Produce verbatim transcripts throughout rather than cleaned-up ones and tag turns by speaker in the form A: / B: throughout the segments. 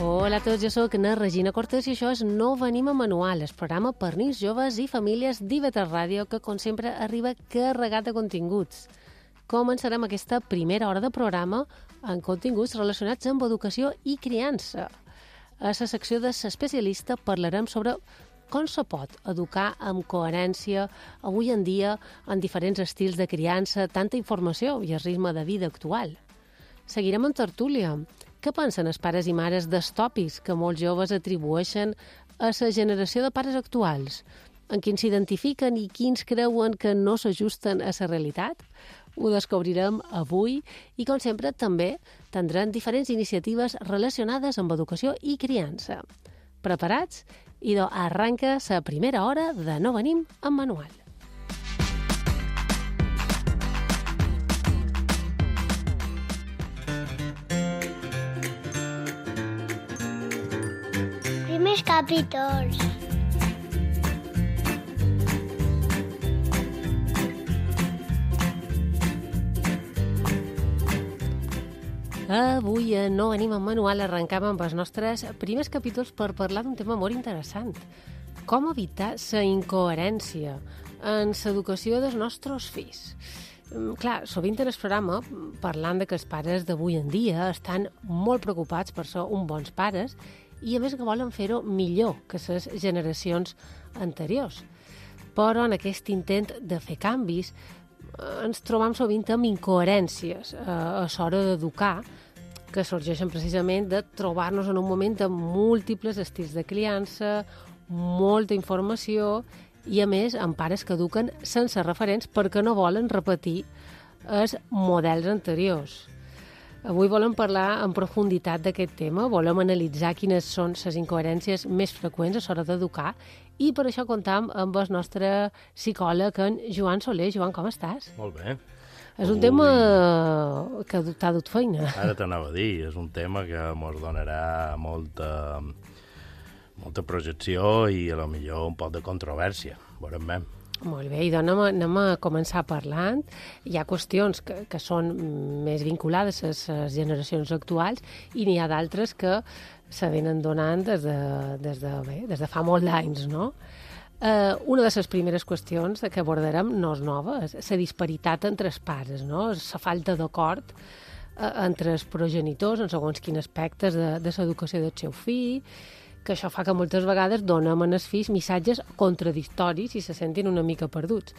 A: Hola a tots, jo sóc na Regina Cortés i això és No venim a manual, el programa per nens, joves i famílies d'I V tres Ràdio que, com sempre, arriba carregat de continguts. Començarem aquesta primera hora de programa amb continguts relacionats amb educació i criança. A la secció de l'especialista parlarem sobre com se pot educar amb coherència avui en dia en diferents estils de criança, tanta informació i el ritme de vida actual. Seguirem en tertúlia. Què pensen els pares i mares dels tòpics que molts joves atribueixen a la generació de pares actuals? En quins s'identifiquen i quins creuen que no s'ajusten a la realitat? Ho descobrirem avui i, com sempre, també tindrem diferents iniciatives relacionades amb educació i criança. Preparats? Idò, arranca la primera hora de No venim amb manual.
B: Primers capítols.
A: Avui a No venim amb manual arrencam amb els nostres primers capítols per parlar d'un tema molt interessant. Com evitar la incoherència en l'educació dels nostres fills. Clar, sovint en el programa parlant de que els pares d'avui en dia estan molt preocupats per ser uns bons pares i a més que volen fer-ho millor que les generacions anteriors. Però en aquest intent de fer canvis ens trobam sovint amb incoherències a l'hora d'educar que sorgeixen precisament de trobar-nos en un moment de múltiples estils de criança, molta informació i, a més, amb pares que eduquen sense referents perquè no volen repetir els models anteriors. Avui volem parlar en profunditat d'aquest tema, volem analitzar quines són les incoherències més freqüents a l'hora d'educar i per això comptam amb el nostre psicòleg, en Joan Soler. Joan, com estàs?
C: Molt bé.
A: És un
C: Ui.
A: tema que t'ha dut feina.
C: Ara t'anava a dir, és un tema que ens donarà molta, molta projecció i a lo millor un poc de controvèrsia. Veurem bé.
A: Molt bé, i doncs anem, anem a començar parlant. Hi ha qüestions que, que són més vinculades a les generacions actuals i n'hi ha d'altres que se venen donant des de, des de, bé, des de fa molt d'anys, no? Eh, una de les primeres qüestions que abordarem no és nova, és la disparitat entre els pares, no? La falta d'acord eh, entre els progenitors en segons quins aspectes de, de l'educació del seu fill, que això fa que moltes vegades donem als fills missatges contradictoris i se sentin una mica perduts.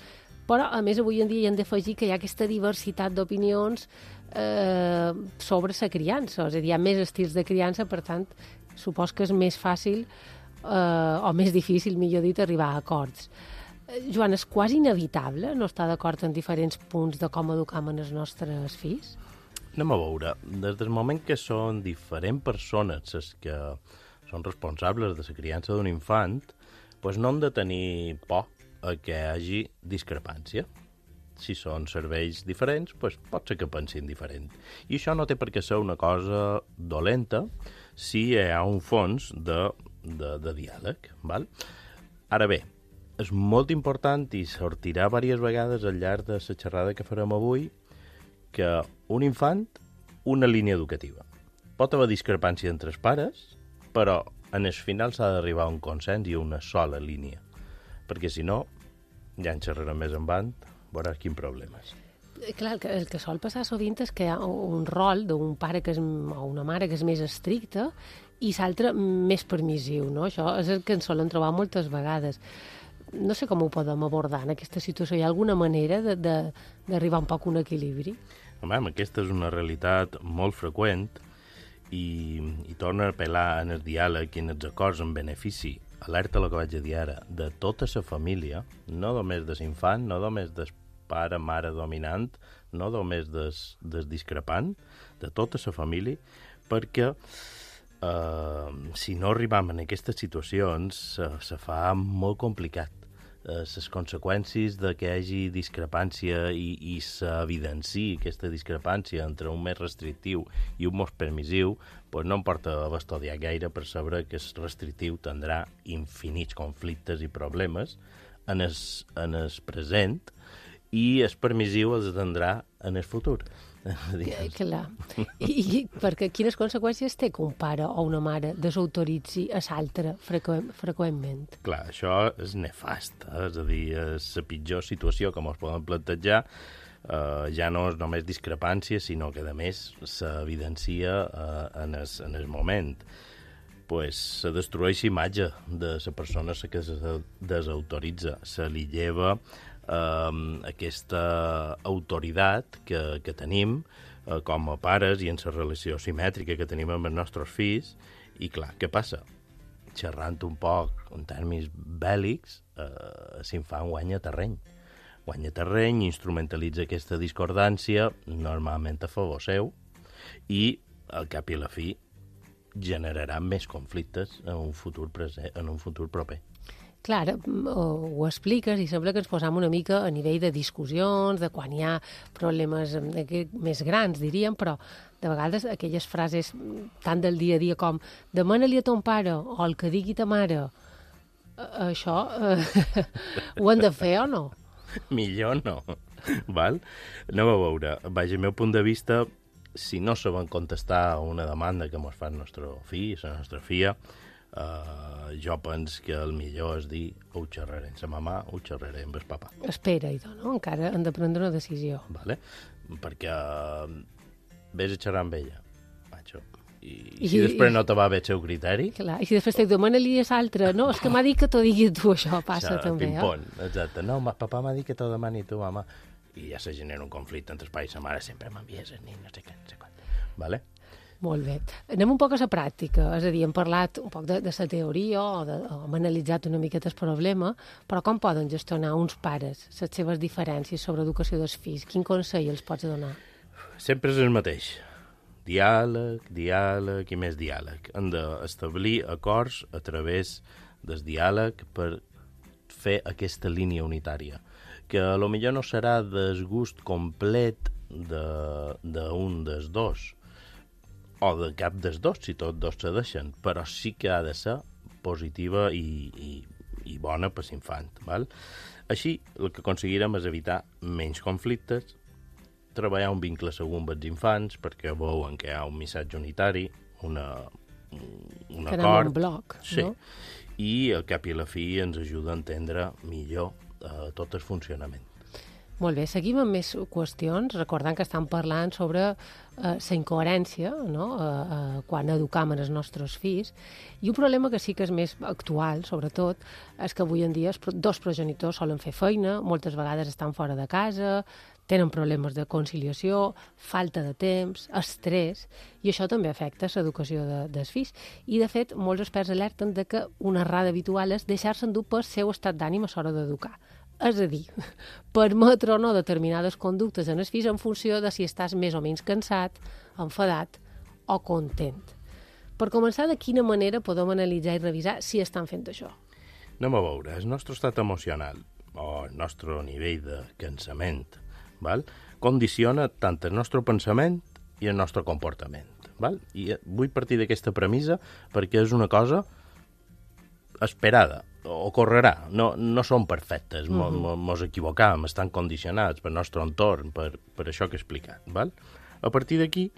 A: Però, a més, avui en dia hi hem d'afegir que hi ha aquesta diversitat d'opinions eh, sobre la criança. És a dir, hi ha més estils de criança, per tant, supos que és més fàcil eh, o més difícil, millor dit, arribar a acords. Eh, Joan, és quasi inevitable no estar d'acord en diferents punts de com educam els nostres fills?
C: Anem a veure. Des del moment que són diferents persones les que són responsables de la criança d'un infant, doncs no han de tenir por a que hi hagi discrepància. Si són cervells diferents, doncs pot ser que pensin diferent. I això no té per què ser una cosa dolenta si hi ha un fons de, de, de diàleg. Val? Ara bé, és molt important i sortirà diverses vegades al llarg de la xerrada que farem avui que un infant, una línia educativa. Pot haver discrepància entre els pares, però en el final s'ha d'arribar a un consens i a una sola línia, perquè si no, ja en xerrarem més endavant, veuràs quins problemes.
A: Clar, el que, el que sol passar sovint és que hi ha un rol d'un pare que és, o una mare que és més estricta i l'altre més permissiu, no? Això és el que ens solen trobar moltes vegades. No sé com ho podem abordar en aquesta situació. Hi ha alguna manera d'arribar un poc a un equilibri?
C: Home, aquesta és una realitat molt freqüent i, i torna a apel·lar en el diàleg i en els acords en benefici, alerta el que vaig a dir ara, de tota la família, no només de l'infant, no només del pare, mare dominant, no només del, del discrepant, de tota la família, perquè eh, si no arribam en aquestes situacions se, se fa molt complicat. Les conseqüències de que hi hagi discrepància i, i s'evidenciï aquesta discrepància entre un més restrictiu i un més permissiu, doncs no em porta a estudiar gaire per saber que el restrictiu tindrà infinits conflictes i problemes en el, en el present i el permissiu els tindrà en el futur.
A: Clar. I, I perquè quines conseqüències té que un pare o una mare desautoritzi a l'altre freqüent, freqüentment?
C: Clar, això és nefast, eh? És a dir, és la pitjor situació que ens poden plantejar. Uh, ja no és només discrepància, sinó que, a més, s'evidencia uh, en, es, en el moment. Pues, se destrueix l'imatge de la persona que se desautoritza, se li lleva eh, aquesta autoritat que, que tenim eh, com a pares i en la relació simètrica que tenim amb els nostres fills. I clar, què passa? Xerrant un poc en termes bèl·lics, eh, l'infant guanya terreny. Guanya terreny, instrumentalitza aquesta discordància, normalment a favor seu, i al cap i a la fi generarà més conflictes en un futur present, en un futur proper.
A: Clar, ho, ho expliques i sembla que ens posam una mica a nivell de discussions, de quan hi ha problemes més grans, diríem, però de vegades aquelles frases tant del dia a dia com demana-li a ton pare o el que digui ta mare, això eh, ho hem de fer o no?
C: Millor no. Val? Anem a veure. Vaja, el meu punt de vista, si no saben contestar a una demanda que ens fa el nostre fill, la nostra filla, eh, jo penso que el millor és dir ho xerraré amb la mamà, ho xerraré amb el papà.
A: Espera, idò, no? Encara han de prendre una decisió.
C: Vale? Perquè vés a xerrar amb ella, macho. I,
A: I
C: si després
A: i,
C: no te va bé el seu criteri...
A: Clar, i si després te demana-li a l'altre, no, és que m'ha dit que t'ho digui tu, això passa
C: o sigui,
A: també,
C: ping-pong, eh? Exacte. No, ma, papà m'ha dit que t'ho demani tu, mama. I ja se genera un conflicte entre els pares i la mare, sempre m'envies el nen, no sé què, no sé quant. Vale?
A: Molt bé. Anem un poc a la pràctica, és a dir, hem parlat un poc de, de la teoria o, de, o hem analitzat una miqueta el problema, però com poden gestionar uns pares les seves diferències sobre educació dels fills? Quin consell els pots donar?
C: Sempre és el mateix. Diàleg, diàleg i més diàleg. Hem d'establir acords a través del diàleg per fer aquesta línia unitària, que a lo millor no serà desgust complet d'un de, de dels dos, o de cap dels dos, si tots dos se deixen, però sí que ha de ser positiva i, i, i bona per l'infant. Val? Així, el que aconseguirem és evitar menys conflictes, treballar un vincle segur amb els infants, perquè veuen que hi ha un missatge unitari, una, un
A: que
C: acord.
A: Un bloc,
C: sí.
A: No?
C: I al cap i a la fi ens ajuda a entendre millor eh, tot el funcionament.
A: Molt bé, seguim amb més qüestions, recordant que estem parlant sobre eh, la incoherència, no? eh, eh, quan educam els nostres fills, i un problema que sí que és més actual, sobretot, és que avui en dia els dos progenitors solen fer feina, moltes vegades estan fora de casa, tenen problemes de conciliació, falta de temps, estrès, i això també afecta l'educació de, dels fills. I, de fet, molts experts alerten de que una errada habitual és deixar-se endur pel seu estat d'ànim a l'hora d'educar. És a dir, permetre o no determinades conductes en els fills en funció de si estàs més o menys cansat, enfadat o content. Per començar, de quina manera podem analitzar i revisar si estan fent això?
C: Anem a veure, el nostre estat emocional o el nostre nivell de cansament, val? Condiciona tant el nostre pensament i el nostre comportament. Val? I vull partir d'aquesta premissa perquè és una cosa esperada, ocorrerà, no, no són perfectes, uh -huh. mos equivocam, estan condicionats pel nostre entorn, per, per això que he explicat. Val? A partir d'aquí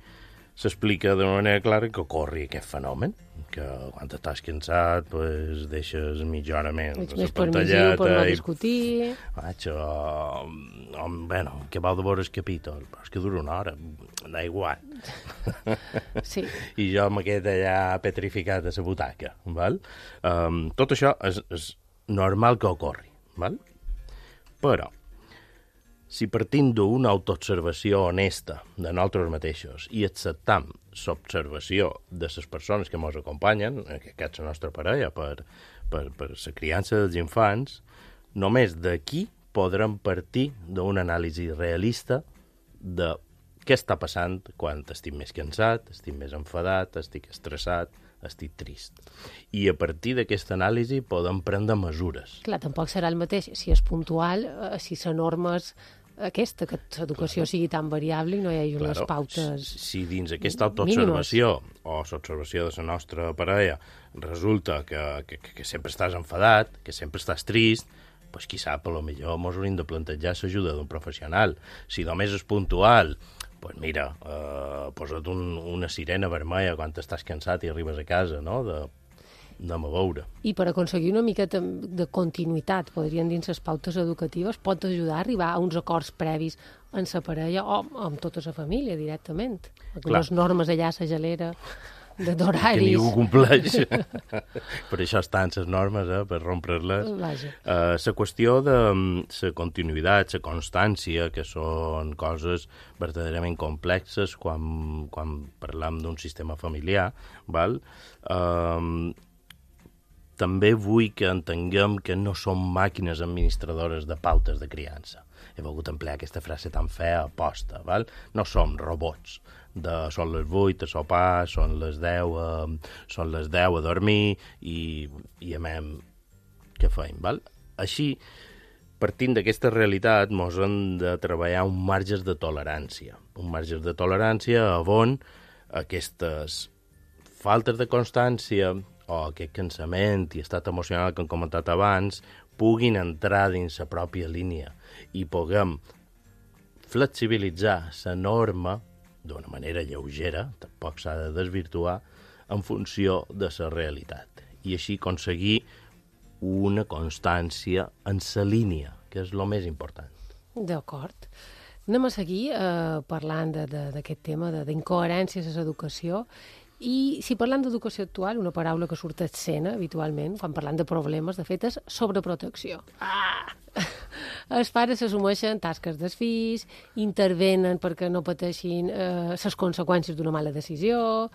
C: s'explica de manera clara que ocorri aquest fenomen, que quan estàs cansat pues, deixes mitja hora menys
A: ets més permissiu per no discutir.
C: Vaig, o, o, bueno, que vau de veure el capítol, però és que dura una hora, da igual.
A: Sí.
C: I jo m'he quedat allà petrificat a la butaca. Val? Um, tot això és, és normal que ocorri. Val? Però, si partim d'una autoobservació honesta de nosaltres mateixos i acceptam l'observació de les persones que ens acompanyen, que és la nostra parella, per, per, per la criança dels infants, només d'aquí podrem partir d'una anàlisi realista de què està passant quan estic més cansat, estic més enfadat, estic estressat, estic trist. I a partir d'aquesta anàlisi podem prendre mesures.
A: Clar, tampoc serà el mateix si és puntual, eh, si la norma és aquesta, que l'educació claro. sigui tan variable i no hi hagi unes claro. pautes
C: Si dins aquesta autoobservació o l'observació de la nostra parella resulta que, que, que sempre estàs enfadat, que sempre estàs trist, pues qui sap, potser ens hauríem de plantejar l'ajuda d'un professional. Si només és puntual, pues mira, eh, posa't un, una sirena vermella quan estàs cansat i arribes a casa, no?, de, anem a veure.
A: I per aconseguir una miqueta de continuïtat, podrien dir les pautes educatives, pot ajudar a arribar a uns acords previs en la parella o amb tota la família directament. Les normes allà, la gelera, d'horaris...
C: Que ningú compleix. Per això estan les normes, eh, per rompre-les.
A: Vaja.
C: Uh, la qüestió de la continuïtat, la constància, que són coses verdaderament complexes quan, quan parlam d'un sistema familiar, val? Uh, també vull que entenguem que no som màquines administradores de pautes de criança. He volgut emplear aquesta frase tan fea a posta, val? No som robots. De, són les vuit a sopar, són les deu a, són les deu a dormir i, i amem què feim, val? Així, partint d'aquesta realitat, mos hem de treballar un marge de tolerància. Un marge de tolerància on aquestes faltes de constància o aquest cansament i estat emocional que hem comentat abans puguin entrar dins la pròpia línia i puguem flexibilitzar la norma d'una manera lleugera, tampoc s'ha de desvirtuar, en funció de la realitat. I així aconseguir una constància en la línia, que és el més important.
A: D'acord. Anem a seguir eh, parlant d'aquest tema d'incoherències a l'educació. I si parlant d'educació actual, una paraula que surt a escena habitualment, quan parlant de problemes, de fet, és sobreprotecció. Ah! Els pares s'assumeixen tasques dels fills, intervenen perquè no pateixin eh, les conseqüències d'una mala decisió,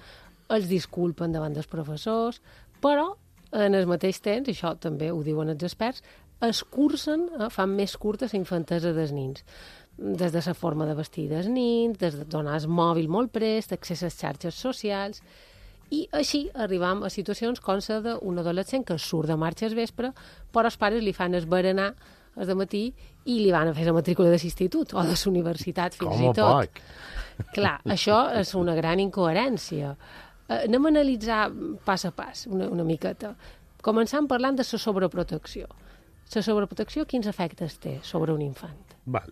A: els disculpen davant dels professors, però en el mateix temps, i això també ho diuen els experts, es cursen, eh, fan més curta la infantesa dels nins. Des de la forma de vestir dels nins, des de donar el mòbil molt prest, accés a les xarxes socials, i així arribam a situacions com la d'un adolescent que surt de marxa al vespre, però els pares li fan el berenar el dematí i li van a fer la matrícula de l'institut o de la universitat fins
C: Com
A: i
C: a
A: tot.
C: poc.
A: Clar, això és una gran incoherència. Eh, anem a analitzar pas a pas una, una miqueta. Començant parlant de la sobreprotecció. La sobreprotecció, quins efectes té sobre un infant?
C: Val.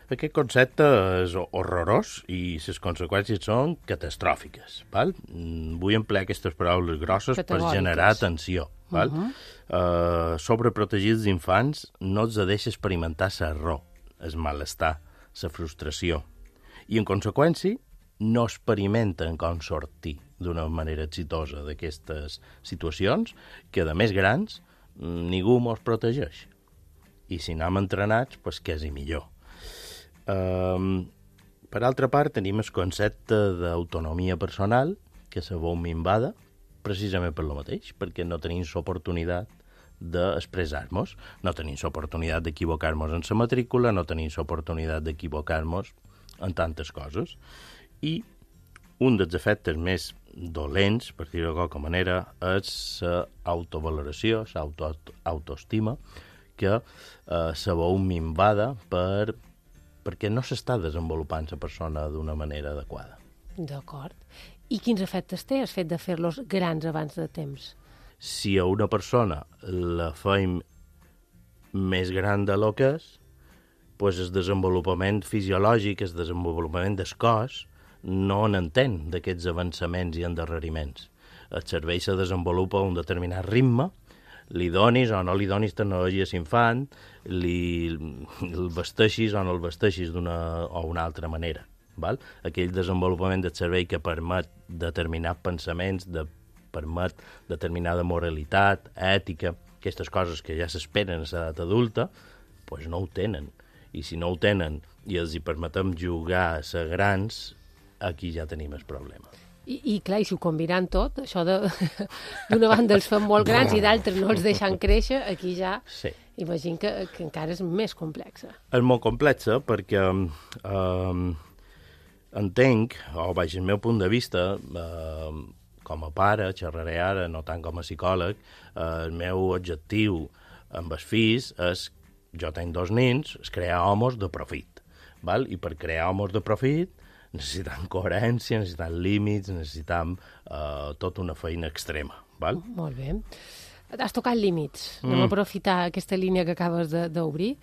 C: Aquest concepte és horrorós i les conseqüències són catastròfiques. Val? Vull emplear aquestes paraules grosses per generar tensió. Val? Uh -huh. uh, sobreprotegir els infants no els deixa experimentar l'error, el malestar, la frustració. I, en conseqüència, no experimenten com sortir d'una manera exitosa d'aquestes situacions que, de més grans, ningú mos protegeix. I si anem entrenats, doncs què és i millor. Um, per altra part, tenim el concepte d'autonomia personal, que se veu minvada, precisament per lo mateix, perquè no tenim l'oportunitat d'expressar-nos, no tenim l'oportunitat d'equivocar-nos en la matrícula, no tenim l'oportunitat d'equivocar-nos en tantes coses. I un dels efectes més dolents, per dir-ho de qualque manera, és l'autavaloració, l'autoestima, que eh, se veu minvada per, perquè no s'està desenvolupant la persona d'una manera adequada.
A: D'acord. I quins efectes té el fet de fer-los grans abans de temps?
C: Si a una persona la feim més gran de lo que és, doncs el desenvolupament fisiològic, el desenvolupament del cos, no n'entén d'aquests avançaments i endarreriments. El cervell se desenvolupa a un determinat ritme, li donis o no li donis tecnologia a l'infant, li el vesteixis o no el vesteixis d'una o una altra manera. Val? Aquell desenvolupament del cervell que permet determinats pensaments, de, permet determinada moralitat, ètica, aquestes coses que ja s'esperen a l'edat adulta, doncs no ho tenen. I si no ho tenen i els hi permetem jugar a ser grans, aquí ja tenim el problema.
A: I, i clar, i si ho combinant tot, això d'una banda els fan molt grans i d'altres no els deixen créixer, aquí ja
C: sí.
A: Imagino que, que encara és més complexa.
C: És molt complexa perquè eh, entenc, o vaig el meu punt de vista, eh, com a pare, xerraré ara, no tant com a psicòleg, eh, el meu objectiu amb els fills és, jo tenc dos nens, és crear homes de profit. Val? I per crear homes de profit necessitam coherència, necessitam límits, necessitam eh, tota una feina extrema. Val?
A: Molt bé. Has tocat límits. Anem mm. a aprofitar aquesta línia que acabes d'obrir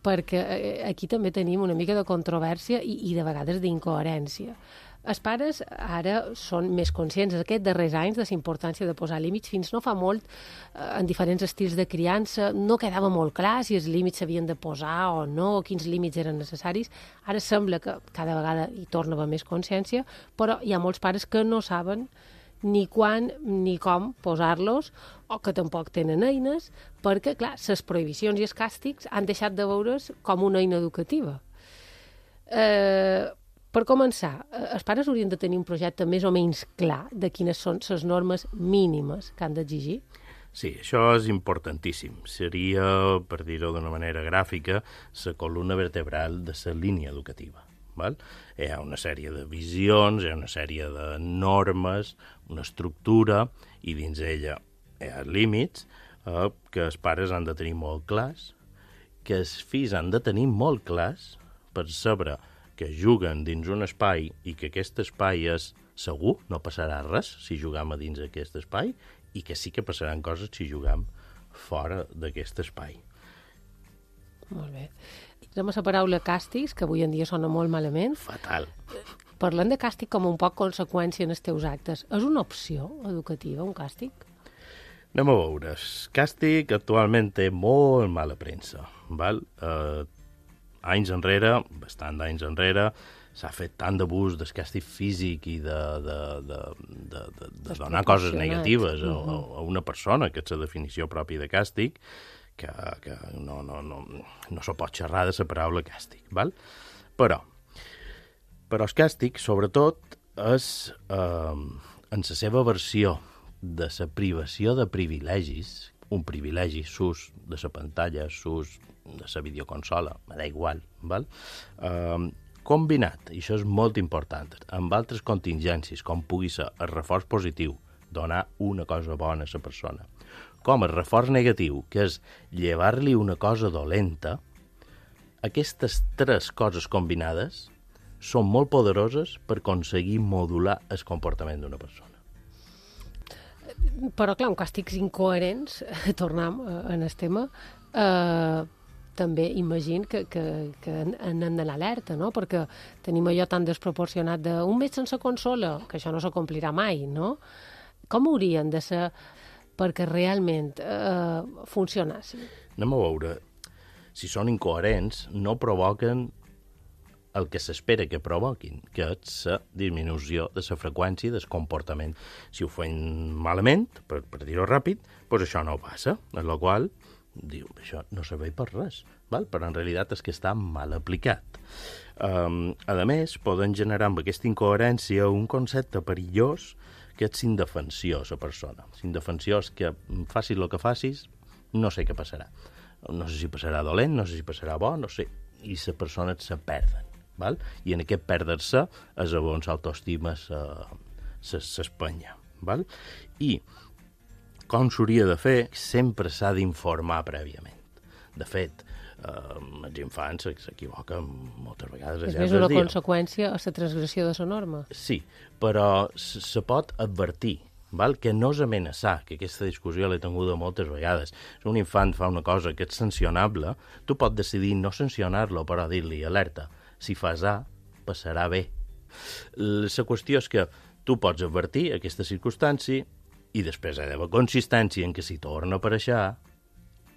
A: perquè aquí també tenim una mica de controvèrsia i, i de vegades d'incoherència. Els pares ara són més conscients aquests darrers anys de la importància de posar límits. Fins no fa molt, en diferents estils de criança, no quedava molt clar si els límits s'havien de posar o no, o quins límits eren necessaris. Ara sembla que cada vegada hi torna a haver més consciència, però hi ha molts pares que no saben ni quan ni com posar-los, o que tampoc tenen eines, perquè, clar, les prohibicions i els càstigs han deixat de veure's com una eina educativa. Eh, per començar, els pares haurien de tenir un projecte més o menys clar de quines són les normes mínimes que han d'exigir?
C: Sí, això és importantíssim. Seria, per dir-ho d'una manera gràfica, la columna vertebral de la línia educativa. Val? Hi ha una sèrie de visions, hi ha una sèrie de normes, una estructura, i dins ella hi ha límits eh, que els pares han de tenir molt clars, que els fills han de tenir molt clars per saber que juguen dins un espai i que aquest espai és segur, no passarà res si juguem a dins aquest espai, i que sí que passaran coses si juguem fora d'aquest espai.
A: Molt bé. Anem a la paraula càstigs, que avui en dia sona molt malament.
C: Fatal.
A: Parlant de càstig com un poc conseqüència en els teus actes, és una opció educativa, un càstig?
C: Anem a veure. El càstig actualment té molt mala premsa. Val? Eh, anys enrere, bastant d'anys enrere, s'ha fet tant d'abús del càstig físic i de, de, de, de, de, de donar coses negatives a, a una persona, que és la definició pròpia de càstig, que, que no, no, no, no se pot xerrar de la paraula càstig, val? Però, però el càstig, sobretot, és eh, en la seva versió de la privació de privilegis, un privilegi s'ús de la pantalla, s'ús de la videoconsola, me da igual, val? Eh, combinat, i això és molt important, amb altres contingències, com pugui ser el reforç positiu, donar una cosa bona a la persona, com el reforç negatiu, que és llevar-li una cosa dolenta, aquestes tres coses combinades són molt poderoses per aconseguir modular el comportament d'una persona.
A: Però, clar, un càstigs incoherents, tornem en el tema, eh, també imagino que, que, que han d'anar alerta, no? Perquè tenim allò tan desproporcionat d'un mes sense consola, que això no s'acomplirà mai, no? Com haurien de ser perquè realment eh, funcionassin?
C: Anem a veure. Si són incoherents, no provoquen el que s'espera que provoquin, que és la disminució de la freqüència del comportament. Si ho fan malament, per, per dir-ho ràpid, doncs això no passa, en la qual diu, això no serveix per res, val? Però en realitat és que està mal aplicat. Um, a més, poden generar amb aquesta incoherència un concepte perillós que és indefensió, la persona. Indefensió és que facis el que facis, no sé què passarà. No sé si passarà dolent, no sé si passarà bo, no sé. I les persones se perden, val? I en aquest perdre-se és on l'autoestima s'espanya, val? I com s'hauria de fer? Sempre s'ha d'informar prèviament. De fet, eh, els infants s'equivoquen moltes vegades.
A: És més una conseqüència a la transgressió de la norma.
C: Sí, però se pot advertir, val? Que no és amenaçar, que aquesta discussió l'he tinguda moltes vegades. Si un infant fa una cosa que és sancionable, tu pots decidir no sancionar-lo, però dir-li, alerta, si fas A, passarà B. La qüestió és que tu pots advertir aquesta circumstància i després ha d'haver consistència en que si torna a aparèixer A,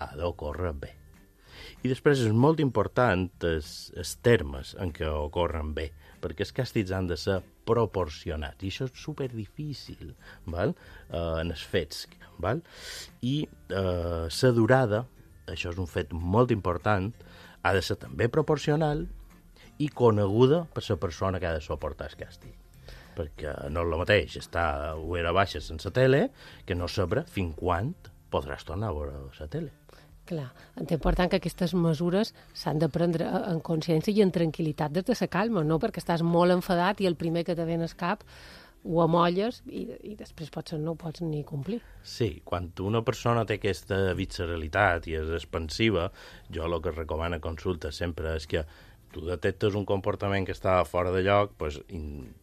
C: ha d'ocórrer B. I després és molt important els, els termes en què ocorren bé, perquè els càstigs han de ser proporcionats, i això és superdifícil, val? Uh, en els fets. Val? I uh, la durada, això és un fet molt important, ha de ser també proporcional i coneguda per la persona que ha de suportar el càstig. Perquè no és el mateix estar a hora baixa sense tele que no saber fins quan podràs tornar a veure la tele.
A: Clar, és important que aquestes mesures s'han de prendre en consciència i en tranquil·litat des de la calma, no? Perquè estàs molt enfadat i el primer que te ve al cap ho amolles i, i després potser no ho pots ni complir.
C: Sí, quan una persona té aquesta visceralitat i és expansiva, jo el que recomano a consulta sempre és que tu detectes un comportament que està fora de lloc, doncs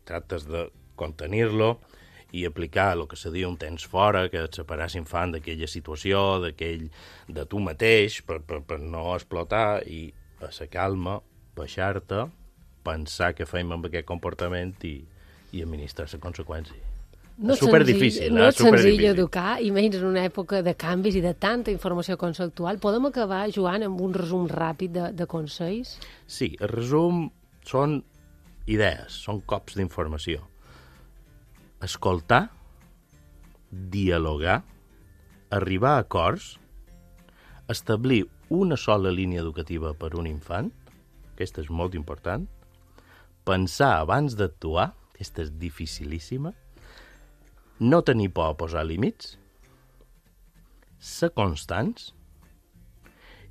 C: tractes de contenir-lo i aplicar el que se diu un temps fora, que et separar l'infant d'aquella situació, d'aquell, de tu mateix, per, per, per no explotar, i a la calma, baixar-te, pensar què fem amb aquest comportament i, i administrar la conseqüència.
A: No
C: és superdifícil,
A: no és
C: eh?
A: senzill educar, i menys en una època de canvis i de tanta informació conceptual. Podem acabar, Joan, amb un resum ràpid de, de consells?
C: Sí, el resum són idees, són cops d'informació. Escoltar, dialogar, arribar a acords, establir una sola línia educativa per un infant, aquesta és molt important, pensar abans d'actuar, aquesta és dificilíssima, no tenir por a posar límits, ser constants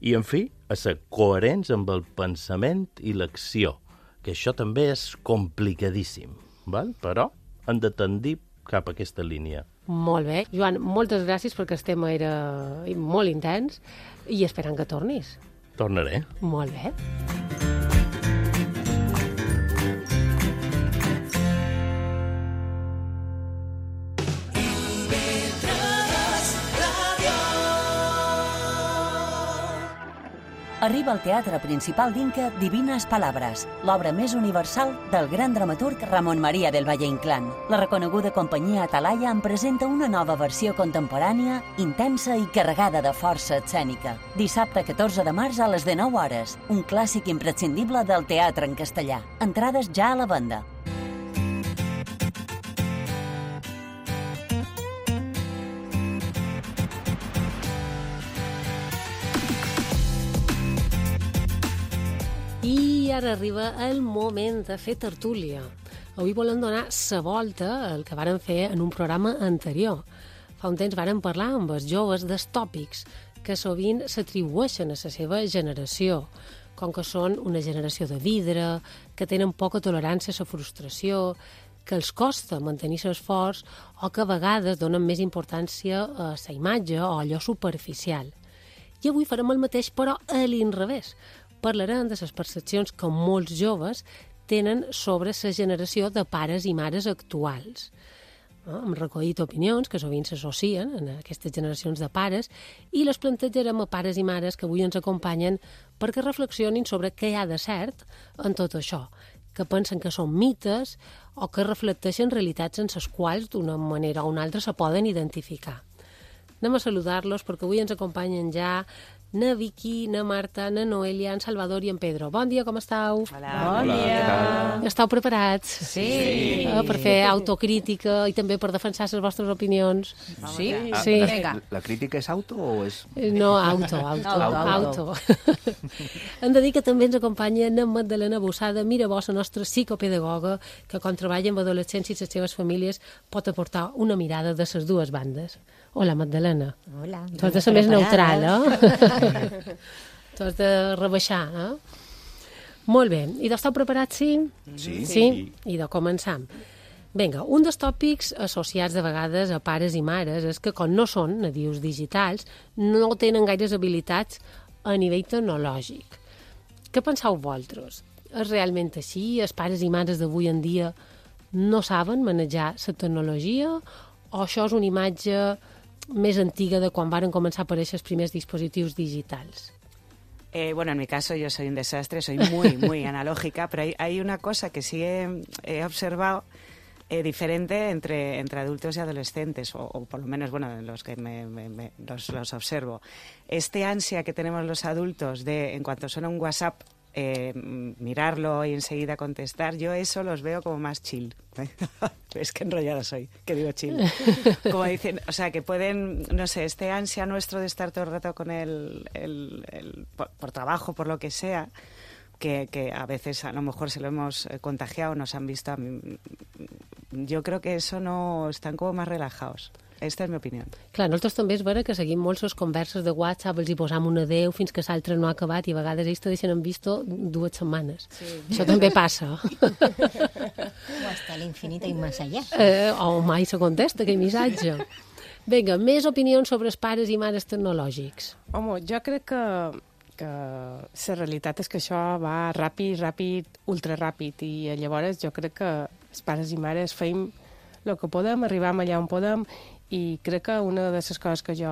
C: i, en fi, a ser coherents amb el pensament i l'acció, que això també és complicadíssim, val? Però han de tendir cap a aquesta línia.
A: Molt bé. Joan, moltes gràcies perquè el tema era molt intens i esperant que tornis.
C: Tornaré.
A: Molt bé.
D: Arriba al Teatre Principal d'Inca Divines Palabres, l'obra més universal del gran dramaturg Ramon María del Valle Inclán. La reconeguda companyia Atalaya en presenta una nova versió contemporània, intensa i carregada de força escènica. Dissabte catorze de març a les dinou hores, un clàssic imprescindible del teatre en castellà. Entrades ja a la venda.
A: I ara arriba el moment de fer tertúlia. Avui volem donar la volta al que vàrem fer en un programa anterior. Fa un temps vàrem parlar amb els joves dels tòpics que sovint s'atribueixen a la seva generació, com que són una generació de vidre, que tenen poca tolerància a la frustració, que els costa mantenir l'esforç o que a vegades donen més importància a la imatge o a allò superficial. I avui farem el mateix, però a l'inrevés. Parlarem de les percepcions que molts joves tenen sobre la generació de pares i mares actuals. No? Hem recollit opinions que sovint s'associen en aquestes generacions de pares i les plantejarem a pares i mares que avui ens acompanyen perquè reflexionin sobre què hi ha de cert en tot això, que pensen que són mites o que reflecteixen realitats en les quals d'una manera o una altra se poden identificar. Anem a saludar-los perquè avui ens acompanyen ja na Vicky, na Marta, na Noelia, en Salvador i en Pedro. Bon dia, com estàu?
E: Hola. Bon dia.
A: Estàu preparats?
E: Sí.
A: Eh, per fer autocrítica i també per defensar les vostres opinions?
E: Sí?
A: Sí.
E: La,
F: la crítica és auto o és...?
A: No, auto, auto.
E: Auto,
A: auto. Hem de dir que també ens acompanya na Magdalena Bossada, Mirabó, la nostra psicopedagoga, que quan treballa amb adolescents i les seves famílies pot aportar una mirada de les dues bandes. Hola, Magdalena.
G: Hola.
A: Tu has de ser més neutral, eh? Tu has de rebaixar, eh? Molt bé. I d'esteu preparats, sí?
F: Sí.
A: Sí? I de començar. Vinga, un dels tòpics associats de vegades a pares i mares és que, com no són nadius digitals, no tenen gaires habilitats a nivell tecnològic. Què penseu vosaltres? És realment així? Els pares i mares d'avui en dia no saben manejar la tecnologia o això és una imatge més antiga de quan varen començar a aparèixer els primers dispositius digitals?
E: Eh, bueno, en mi caso yo soy un desastre, soy muy, muy analógica, pero hay, hay una cosa que sí he, he observado eh, diferente entre, entre adultos y adolescentes, o, o por lo menos, bueno, los que me, me, me, los, los observo. Este ansia que tenemos los adultos de, en cuanto suena un WhatsApp, Eh, mirarlo y enseguida contestar, yo eso los veo como más chill. Es que enrollada soy, que digo chill. Como dicen, o sea, que pueden, no sé, este ansia nuestro de estar todo el rato con el, el, el por, por trabajo, por lo que sea, que, que a veces a lo mejor se lo hemos contagiado, nos han visto. A mí, yo creo que eso no, están como más relajados. Esta és la meva opinió.
A: Clar, nosaltres també és vera que seguim molt les converses de WhatsApp, els hi posam un adeu fins que l'altre no ha acabat i a vegades ells te deixen en visto dues setmanes. Sí. Això també passa.
G: O hasta l'infinit i més allà.
A: Eh, o mai se contesta aquell missatge. Vinga, més opinions sobre els pares i mares tecnològics.
H: Home, jo crec que, que la realitat és que això va ràpid, ràpid, ultra ràpid, i llavors jo crec que els pares i mares feim el que podem, arribam allà on podem, i crec que una de les coses que jo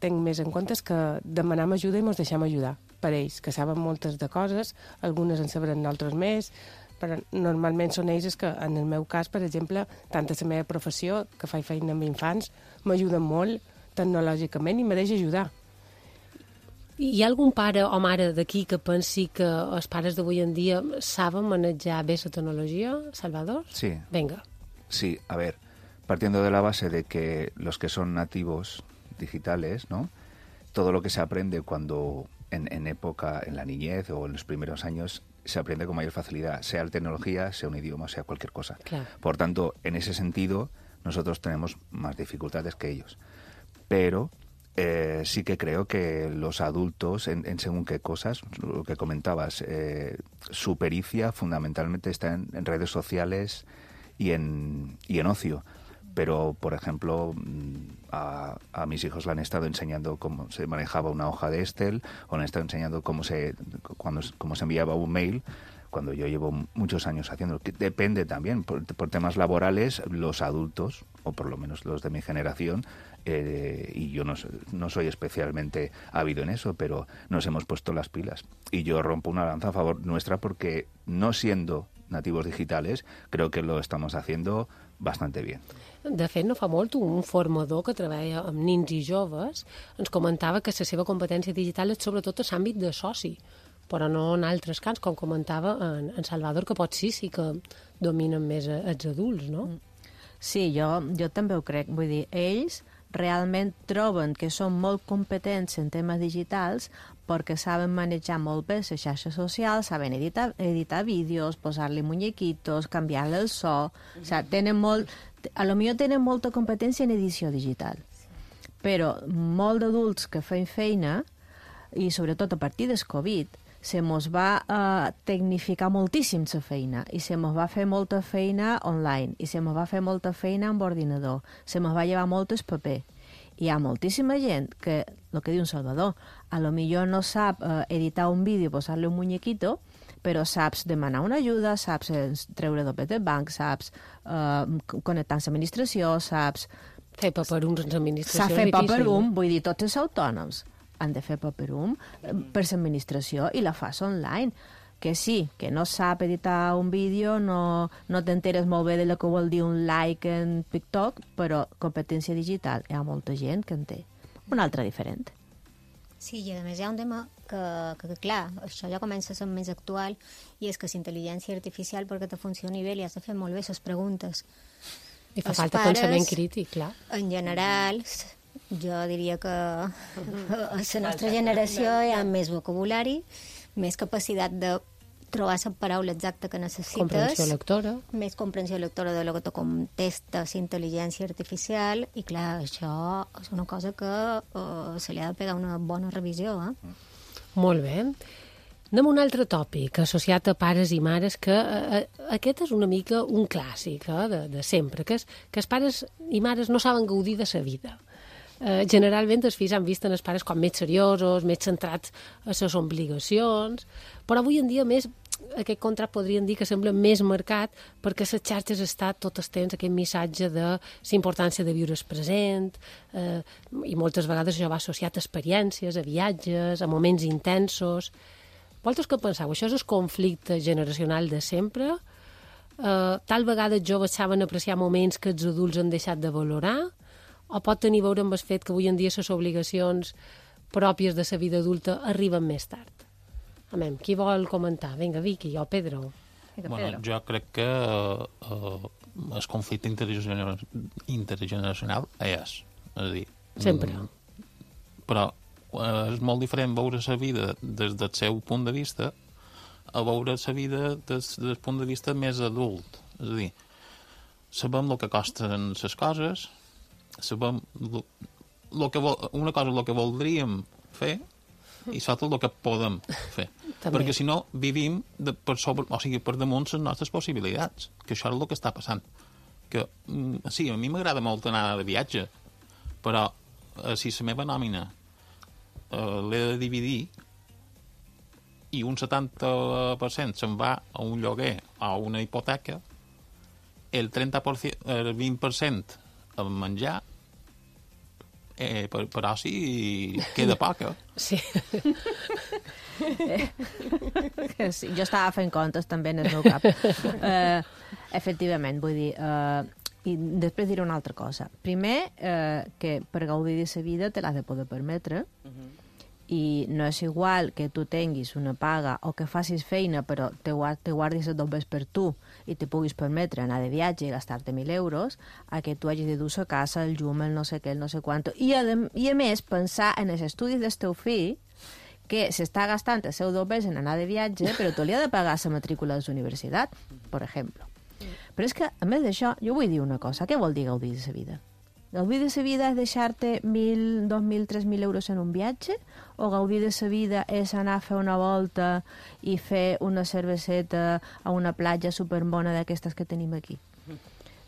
H: tinc més en compte és que demanem ajuda i ens deixem ajudar. per ells, que saben moltes de coses, algunes en sabran altres més, però normalment són ells que, en el meu cas, per exemple, tant a la meva professió, que faig feina amb infants, m'ajuden molt tecnològicament i me deixa ajudar.
A: Hi ha algun pare o mare d'aquí que pensi que els pares d'avui en dia saben manejar bé la tecnologia, Salvador?
F: Sí.
A: Venga.
F: Sí, a ver, partiendo de la base de que los que son nativos digitales, ¿no? Todo lo que se aprende cuando en, en época, en la niñez o en los primeros años, se aprende con mayor facilidad, sea la tecnología, sea un idioma, sea cualquier cosa.
A: Claro.
F: Por tanto, en ese sentido, nosotros tenemos más dificultades que ellos. Pero eh, sí que creo que los adultos, en, en según qué cosas, lo que comentabas, eh, su pericia fundamentalmente está en, en redes sociales y en, y en ocio. Pero, por ejemplo, a, a mis hijos le han estado enseñando cómo se manejaba una hoja de Excel, o le han estado enseñando cómo se, cuando, cómo se enviaba un mail, cuando yo llevo muchos años haciéndolo. Que depende también, por, por temas laborales, los adultos, o por lo menos los de mi generación, eh, y yo no, no soy especialmente ávido en eso, pero nos hemos puesto las pilas. Y yo rompo una lanza a favor nuestra porque, no siendo nativos digitales, creo que lo estamos haciendo bastante bien.
A: De fet, no fa molt, un formador que treballa amb nins i joves ens comentava que la seva competència digital és sobretot a l'àmbit de soci, però no en altres camps, com comentava en, en Salvador, que pot sí, sí que dominen més els adults, no?
I: Sí, jo, jo també ho crec. Vull dir, ells realment troben que són molt competents en temes digitals perquè saben manejar molt bé les xarxes socials, saben editar, editar vídeos, posar-li muñequitos, canviar-li el so... O sea, tenen molt... A lo millor tenen molta competència en edició digital. Però molt d'adults que feien feina, i sobretot a partir del Covid, se mos va uh, tecnificar moltíssim la feina, i se mos va fer molta feina online, i se mos va fer molta feina amb ordinador, se mos va llevar molt el paper. Hi ha moltíssima gent que, el que diu un Salvador, a lo millor no sap uh, editar un vídeo, posar-li un muñequito, però saps demanar una ajuda, saps treure doble de banc, saps uh, connectar amb l'administració, saps...
A: Fer paperums en l'administració.
I: Sap fer paperum, vull dir, tots els autònoms han de fer paperum per l'administració i la fas online. Que sí, que no sap editar un vídeo, no, no t'enteres molt bé de lo que vol dir un like en TikTok, però competència digital hi ha molta gent que en té. Una altra diferent.
G: Sí, i a més hi ha un tema que, que, que clar, això ja comença a ser més actual, i és que la intel·ligència artificial, perquè te funcioni bé, li has de fer molt bé les preguntes.
A: I fa
G: Els
A: falta
G: pares,
A: pensament crític, clar.
G: En general, jo diria que a la nostra generació hi ha més vocabulari, més capacitat de trobar la paraula exacta que necessites.
A: Comprensió lectora.
G: Més comprensió lectora de lo que te contesta la intel·ligència artificial, i clar, això és una cosa que uh, se li ha de pegar una bona revisió. Eh?
A: Molt bé. Anem a un altre tòpic associat a pares i mares, que eh, aquest és una mica un clàssic eh, de, de sempre, que és que els pares i mares no saben gaudir de la vida. Eh, generalment els fills han vist en els pares com més seriosos, més centrats a les obligacions, però avui en dia més aquest contrast podríem dir que sembla més marcat perquè les xarxes està tot el temps aquest missatge de la importància de viure el present, eh, i moltes vegades això va associat a experiències, a viatges, a moments intensos. Vosaltres què penseu? Això és el conflicte generacional de sempre? Eh, tal vegada els joves saben apreciar moments que els adults han deixat de valorar? O pot tenir a veure amb el fet que avui en dia les obligacions pròpies de la vida adulta arriben més tard? Amem, qui vol comentar? Vinga, Vicky o Pedro.
I: Vinga,
J: bueno,
I: Pedro.
J: jo crec que uh, el conflicte intergener intergeneracional és, és a dir...
A: Sempre.
J: Mm, però uh, és molt diferent veure la vida des del seu punt de vista a veure la vida des del punt de vista més adult. És a dir, sabem el que costen les coses, sabem lo, lo que vol, una cosa el que voldríem fer i l'altra el que podem fer.
A: També.
J: Perquè si no vivim de, per, sobre, o sigui, per damunt les nostres possibilitats, que això és el que està passant. Que, mm, sí, a mi m'agrada molt anar de viatge, però eh, si la meva nòmina eh, l'he de dividir i un setanta per cent se'n va a un lloguer o a una hipoteca, el trenta per cent, el vint per cent el menjar, eh, per, però sí, queda poca.
A: Sí.
I: Eh, sí. Jo estava fent comptes també en el meu cap. Eh, efectivament, vull dir... Eh, I després diré una altra cosa. Primer, eh, que per gaudir de la vida te l'has de poder permetre, uh-huh. i no és igual que tu tinguis una paga o que facis feina però te, te guardis els dobbers per tu i te puguis permetre anar de viatge i gastar-te mil euros a que tu hagis de dur a casa el llum, el no sé què, el no sé quanto. I a, i a més pensar en els estudis del teu fill que s'està gastant els seus dobbers en anar de viatge però tu li ha de pagar la matrícula de la universitat, per exemple. Però és que, a més d'això, jo vull dir una cosa. Què vol dir gaudir de la vida? Gaudir de la vida és deixar-te mil, dos mil, tres mil euros en un viatge? O gaudir de la vida és anar a fer una volta i fer una cerveseta a una platja superbona d'aquestes que tenim aquí?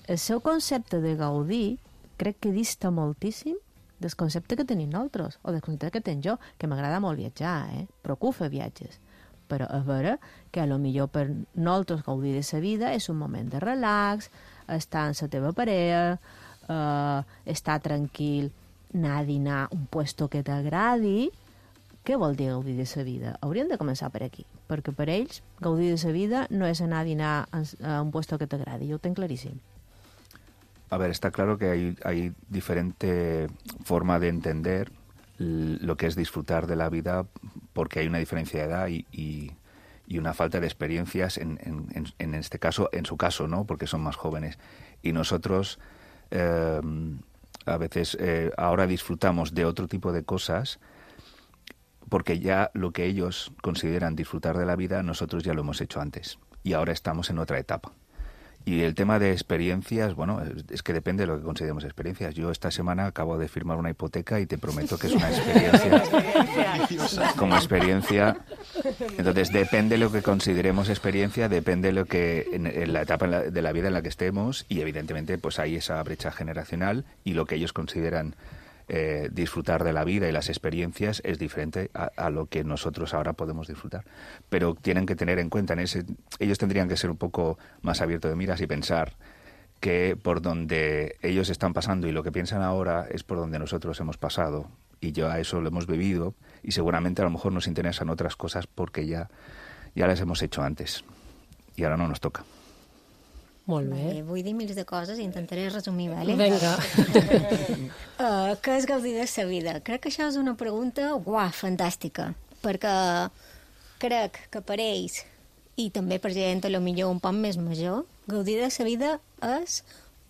I: El seu concepte de gaudir crec que dista moltíssim del concepte que tenim nosaltres, o del concepte que tenc jo, que m'agrada molt viatjar, eh? Procuro fer viatges. Però és vera que a lo millor per nosaltres gaudir de la vida és un moment de relax, estar amb la teva parella, eh, estar tranquil, anar a dinar a un puesto que t'agradi. Què vol dir gaudir de la vida? Hauríem de començar per aquí, perquè per ells gaudir de la vida no es anar a dinar a un puesto que t'agradi, yo lo tengo clarísimo.
F: A ver, está claro que hay, hay diferente forma de entender lo que es disfrutar de la vida, porque hay una diferencia de edad y, y, y una falta de experiencias, en, en, en este caso, en su caso, ¿no? Porque son más jóvenes. Y nosotros eh, a veces eh, ahora disfrutamos de otro tipo de cosas, porque ya lo que ellos consideran disfrutar de la vida, nosotros ya lo hemos hecho antes. Y ahora estamos en otra etapa. Y el tema de experiencias, bueno, es que depende de lo que consideremos experiencias. Yo esta semana acabo de firmar una hipoteca y te prometo que es una experiencia como experiencia. Entonces, depende de lo que consideremos experiencia, depende de lo que en, en la etapa de la vida en la que estemos, y evidentemente pues hay esa brecha generacional, y lo que ellos consideran Eh, disfrutar de la vida y las experiencias es diferente a, a lo que nosotros ahora podemos disfrutar. Pero tienen que tener en cuenta, en ese, ellos tendrían que ser un poco más abiertos de miras y pensar que por donde ellos están pasando y lo que piensan ahora es por donde nosotros hemos pasado, y ya eso lo hemos vivido, y seguramente a lo mejor nos interesan otras cosas porque ya, ya las hemos hecho antes y ahora no nos toca.
A: Molt bé.
G: Vale, vull dir mils de coses i intentaré resumir, vale?
A: Vinga.
G: uh, què és gaudir de la vida? Crec que això és una pregunta, uah, fantàstica, perquè crec que per ells, i també per gent a lo millor un poc més major, gaudir de la vida és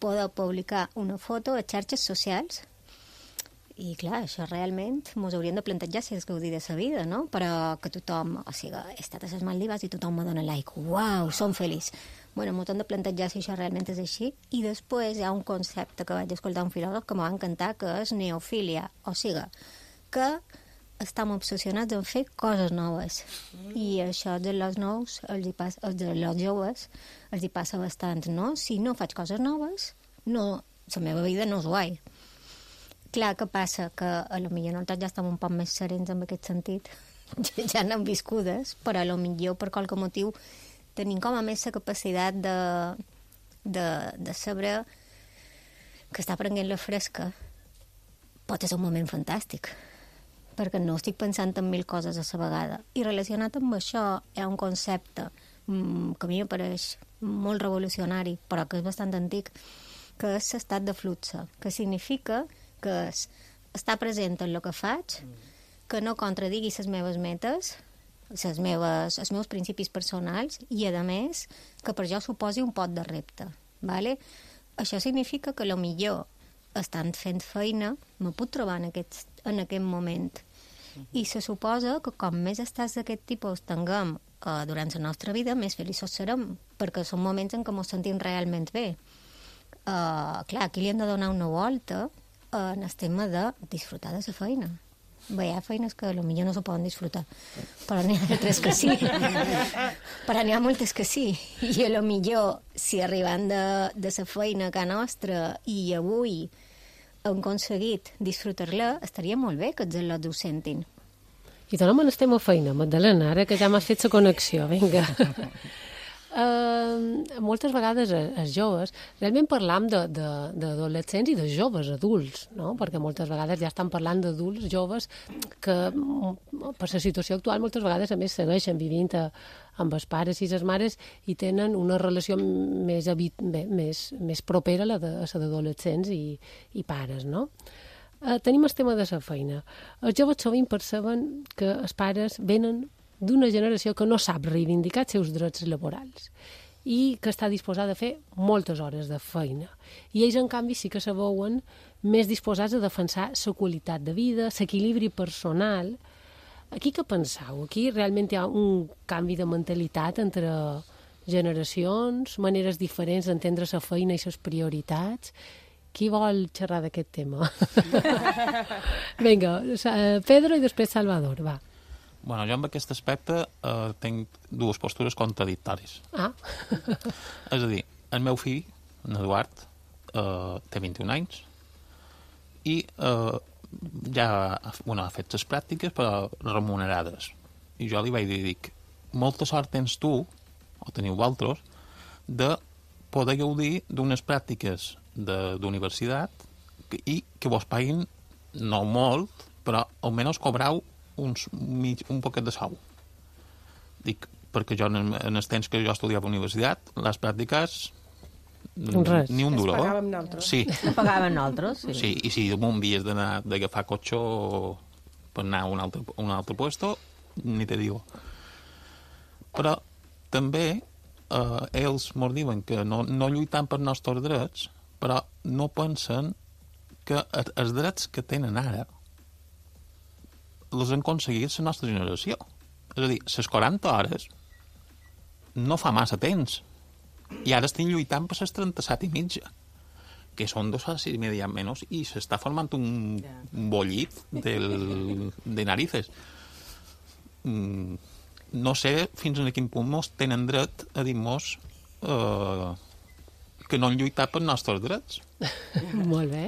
G: poder publicar una foto a xarxes socials. I clar, això realment ens hauríem de plantejar si és gaudir de la vida, no? Però que tothom, o sigui, he estat a les Maldives i tothom me dona like, uau, som feliç. Bueno, m'ho hem de plantejar si això realment és així. I després hi ha un concepte que vaig escoltar un filòleg que m'ha encantat, que és neofília, o sigui, que estem obsessionats en fer coses noves. I això de los nous, els, hi passa, els de los joves, els hi passa bastant, no? Si no faig coses noves, no, la meva vida no és guai. Clar, que passa? Que a lo millor nosaltres ja estem un poc més serens en aquest sentit, ja n'hem viscudes, però a lo millor per qualque motiu tenim com a més la capacitat de, de, de saber que està prenent la fresca pot ser un moment fantàstic, perquè no estic pensant en mil coses a la vegada. I relacionat amb això hi ha un concepte mmm, que a mi m'apareix molt revolucionari, però que és bastant antic, que és l'estat de flux, que significa que és estar present en el que faig, que no contradigui les meves metes, les meves, els meus principis personals, i a més que per jo suposi un pot de repte, vale? Això significa que lo millor estant fent feina me puc trobar en aquest, en aquest moment, i se suposa que com més estats d'aquest tipus tinguem eh, durant la nostra vida, més feliços serem, perquè són moments en què ens sentim realment bé. Uh, clar, aquí li hem de donar una volta uh, en el tema de disfrutar de la feina. Bé, hi ha feines que potser no se poden disfrutar, però n'hi ha altres que sí. Però n'hi ha moltes que sí. I a lo millor, si arribant de, de la feina a casa nostra i avui hem aconseguit disfrutar-la, estaria molt bé que els al·lots ho sentin.
A: I tornem a el tema feina, Magdalena, ara que ja m'has fet la connexió, vinga. Uh, moltes vegades els joves, realment parlam d'adolescents i de joves adults, no? Perquè moltes vegades ja estan parlant d'adults joves que per la situació actual moltes vegades a més segueixen vivint a, amb els pares i les mares i tenen una relació més, habit, més, més propera a la de, a d'adolescents i, i pares, no? Uh, tenim el tema de la feina. Els joves sovint perceben que els pares venen d'una generació que no sap reivindicar els seus drets laborals i que està disposada a fer moltes hores de feina. I ells, en canvi, sí que se veuen més disposats a defensar la qualitat de vida, l'equilibri personal. Aquí què penseu? Aquí realment hi ha un canvi de mentalitat entre generacions, maneres diferents d'entendre la feina i les prioritats. Qui vol xerrar d'aquest tema? Vinga, Pedro i després Salvador, va.
J: Bueno, jo amb aquest aspecte eh, tinc dues postures contradictòries.
A: Ah.
J: És a dir, el meu fill, en Eduard, eh, té vint-i-un anys i eh, ja bueno, ha fet les pràctiques però remunerades. I jo li vaig dir, dic, molta sort tens tu, o teniu vosaltres, de poder gaudir d'unes pràctiques d'universitat i que vos paguin, no molt, però almenys cobrau uns, mig, un poquet de sou. Dic, perquè jo en, en els temps que jo estudiava a la universitat, les pràctiques
A: Res.
J: ni un duro.
H: Es pagàvem nosaltres.
J: Sí.
I: No pagàvem nosaltres, sí.
J: Sí, i si damunt havies d'anar d'agafar cotxe per anar a un altre, a un altre puesto, ni te digo. Però també eh, ells mos diuen que no, no lluitan per nostres drets, però no pensen que els drets que tenen ara les han aconseguit la nostra generació. És a dir, les quaranta hores no fa massa temps. I ara estem lluitant per les trenta-set i mitja, que són dos horas y media menys, i s'està formant un, un bollit del, de narices. Mm, no sé fins a quin punt mos tenen dret a dir-nos eh, que no han lluitat per nostres drets.
A: Molt bé.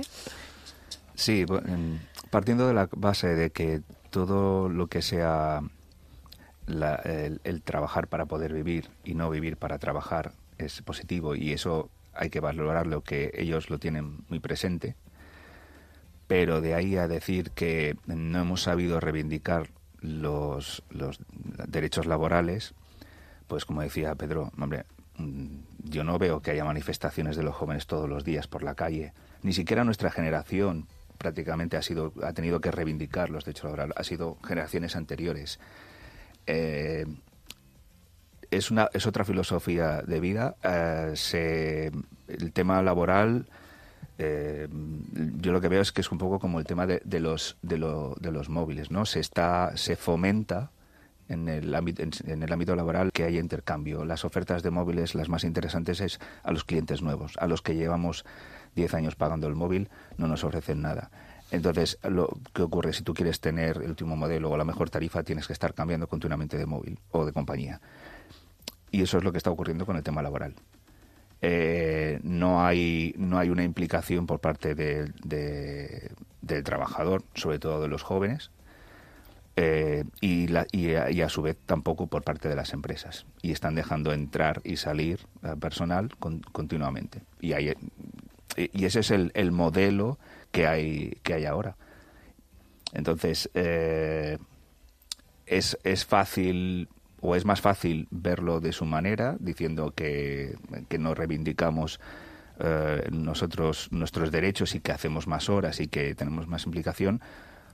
F: Sí, partiendo de la base de que todo lo que sea la, el, el trabajar para poder vivir y no vivir para trabajar es positivo, y eso hay que valorarlo, que ellos lo tienen muy presente, pero de ahí a decir que no hemos sabido reivindicar los, los derechos laborales, pues como decía Pedro, hombre, yo no veo que haya manifestaciones de los jóvenes todos los días por la calle, ni siquiera nuestra generación prácticamente ha sido ha tenido que reivindicar los derechos laborales, ha sido generaciones anteriores. Eh, es una es otra filosofía de vida. Eh, se, el tema laboral, eh, yo lo que veo es que es un poco como el tema de, de los de, lo, de los móviles, ¿no? Se está se fomenta en el ámbito en, en el ámbito laboral que haya intercambio. Las ofertas de móviles, las más interesantes es a los clientes nuevos, a los que llevamos diez años pagando el móvil, no nos ofrecen nada. Entonces, lo que ocurre, si tú quieres tener el último modelo o la mejor tarifa, tienes que estar cambiando continuamente de móvil o de compañía. Y eso es lo que está ocurriendo con el tema laboral. Eh, no hay no hay una implicación por parte de, de, del trabajador, sobre todo de los jóvenes, eh, y, la, y, a, y a su vez tampoco por parte de las empresas. Y están dejando entrar y salir eh, personal con, continuamente. Y hay... Y ese es el, el modelo que hay que hay ahora. Entonces, eh, es, es fácil, o es más fácil verlo de su manera, diciendo que, que no reivindicamos eh, nosotros nuestros derechos y que hacemos más horas y que tenemos más implicación,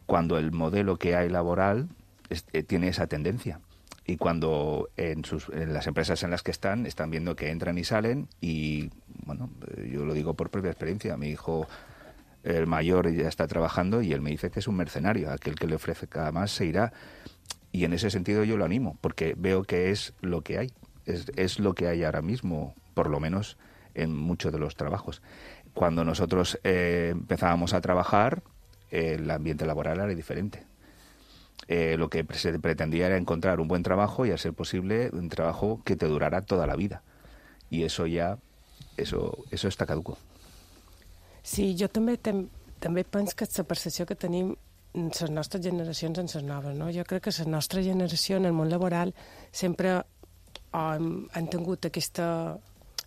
F: cuando el modelo que hay laboral es, eh, tiene esa tendencia. Y cuando en, sus, en las empresas en las que están, están viendo que entran y salen, y bueno, yo lo digo por propia experiencia, mi hijo, el mayor, ya está trabajando y él me dice que es un mercenario, aquel que le ofrezca más se irá, y en ese sentido yo lo animo, porque veo que es lo que hay, es, es lo que hay ahora mismo, por lo menos en muchos de los trabajos. Cuando nosotros eh, empezábamos a trabajar, eh, el ambiente laboral era diferente. Eh, lo que se pretendía era encontrar un buen trabajo y, a ser posible, un trabajo que te durara toda la vida. I eso ja, eso, eso està caduco.
H: Sí, jo també tem, també penso que la percepció que tenim les nostres generacions en les noves, no? Jo crec que la nostra generació en el món laboral sempre o han, han tingut aquesta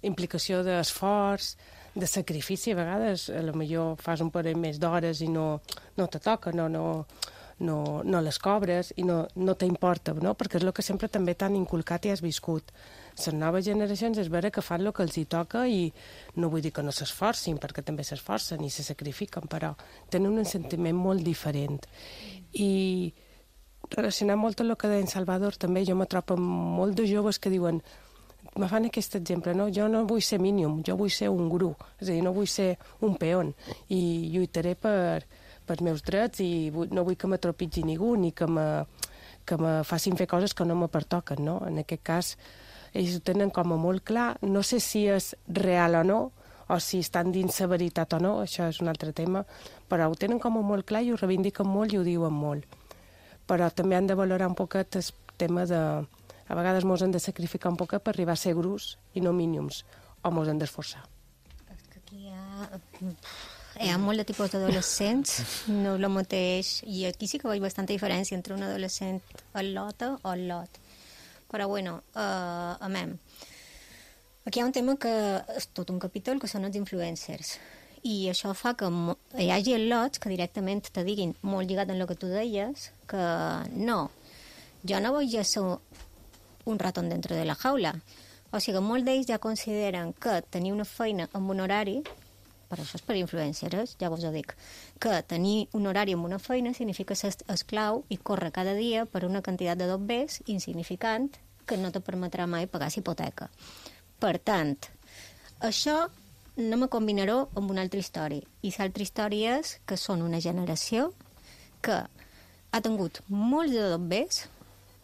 H: implicació d'esforç, de sacrifici. A vegades, a lo millor fas un parell més d'hores i no, no te toca, no, no, no, no les cobres i no, no t'importa, no? Perquè és el que sempre també t'han inculcat i has viscut. Les noves generacions és vera que fan el que els hi toca i no vull dir que no s'esforcin, perquè també s'esforcen i se sacrifiquen, però tenen un sentiment molt diferent. I relacionant molt amb el que deia en Salvador, també jo me trobo amb molt de joves que diuen, me fan aquest exemple, no? Jo no vull ser mínim, jo vull ser un guru, és a dir, no vull ser un peón i lluitaré per, per meus drets i vull, no vull que me trepitgi ningú ni que me, que me facin fer coses que no me pertoquen, no? En aquest cas, ells ho tenen com a molt clar, no sé si és real o no, o si estan dins la veritat o no, això és un altre tema, però ho tenen com a molt clar i ho reivindiquen molt i ho diuen molt. Però també han de valorar un poquet el tema de... A vegades mos hem de sacrificar un poquet per arribar a ser grus i no mínims, o mos hem d'esforçar.
G: És que aquí hi ha... Hi ha molt de tipus d'adolescents, no és el mateix, i aquí sí que veig bastanta diferència entre un adolescent al lota o al lot. Però bueno, uh, amem. Aquí hi ha un tema que és tot un capítol, que són els influencers. I això fa que hi hagi lots que directament te diguin, molt lligat en el que tu deies, que no, jo no vull ser un ratón dentro de la jaula. O sigui, molts d'ells ja consideren que tenir una feina amb un horari, per això és per influencers, ja vos ho dic, que tenir un horari amb una feina significa ser esclau i córrer cada dia per una quantitat de dobbers insignificant que no te permetrà mai pagar la hipoteca. Per tant, això no me combinaré amb una altra història. I l'altra història és que són una generació que ha tingut molts de dobbers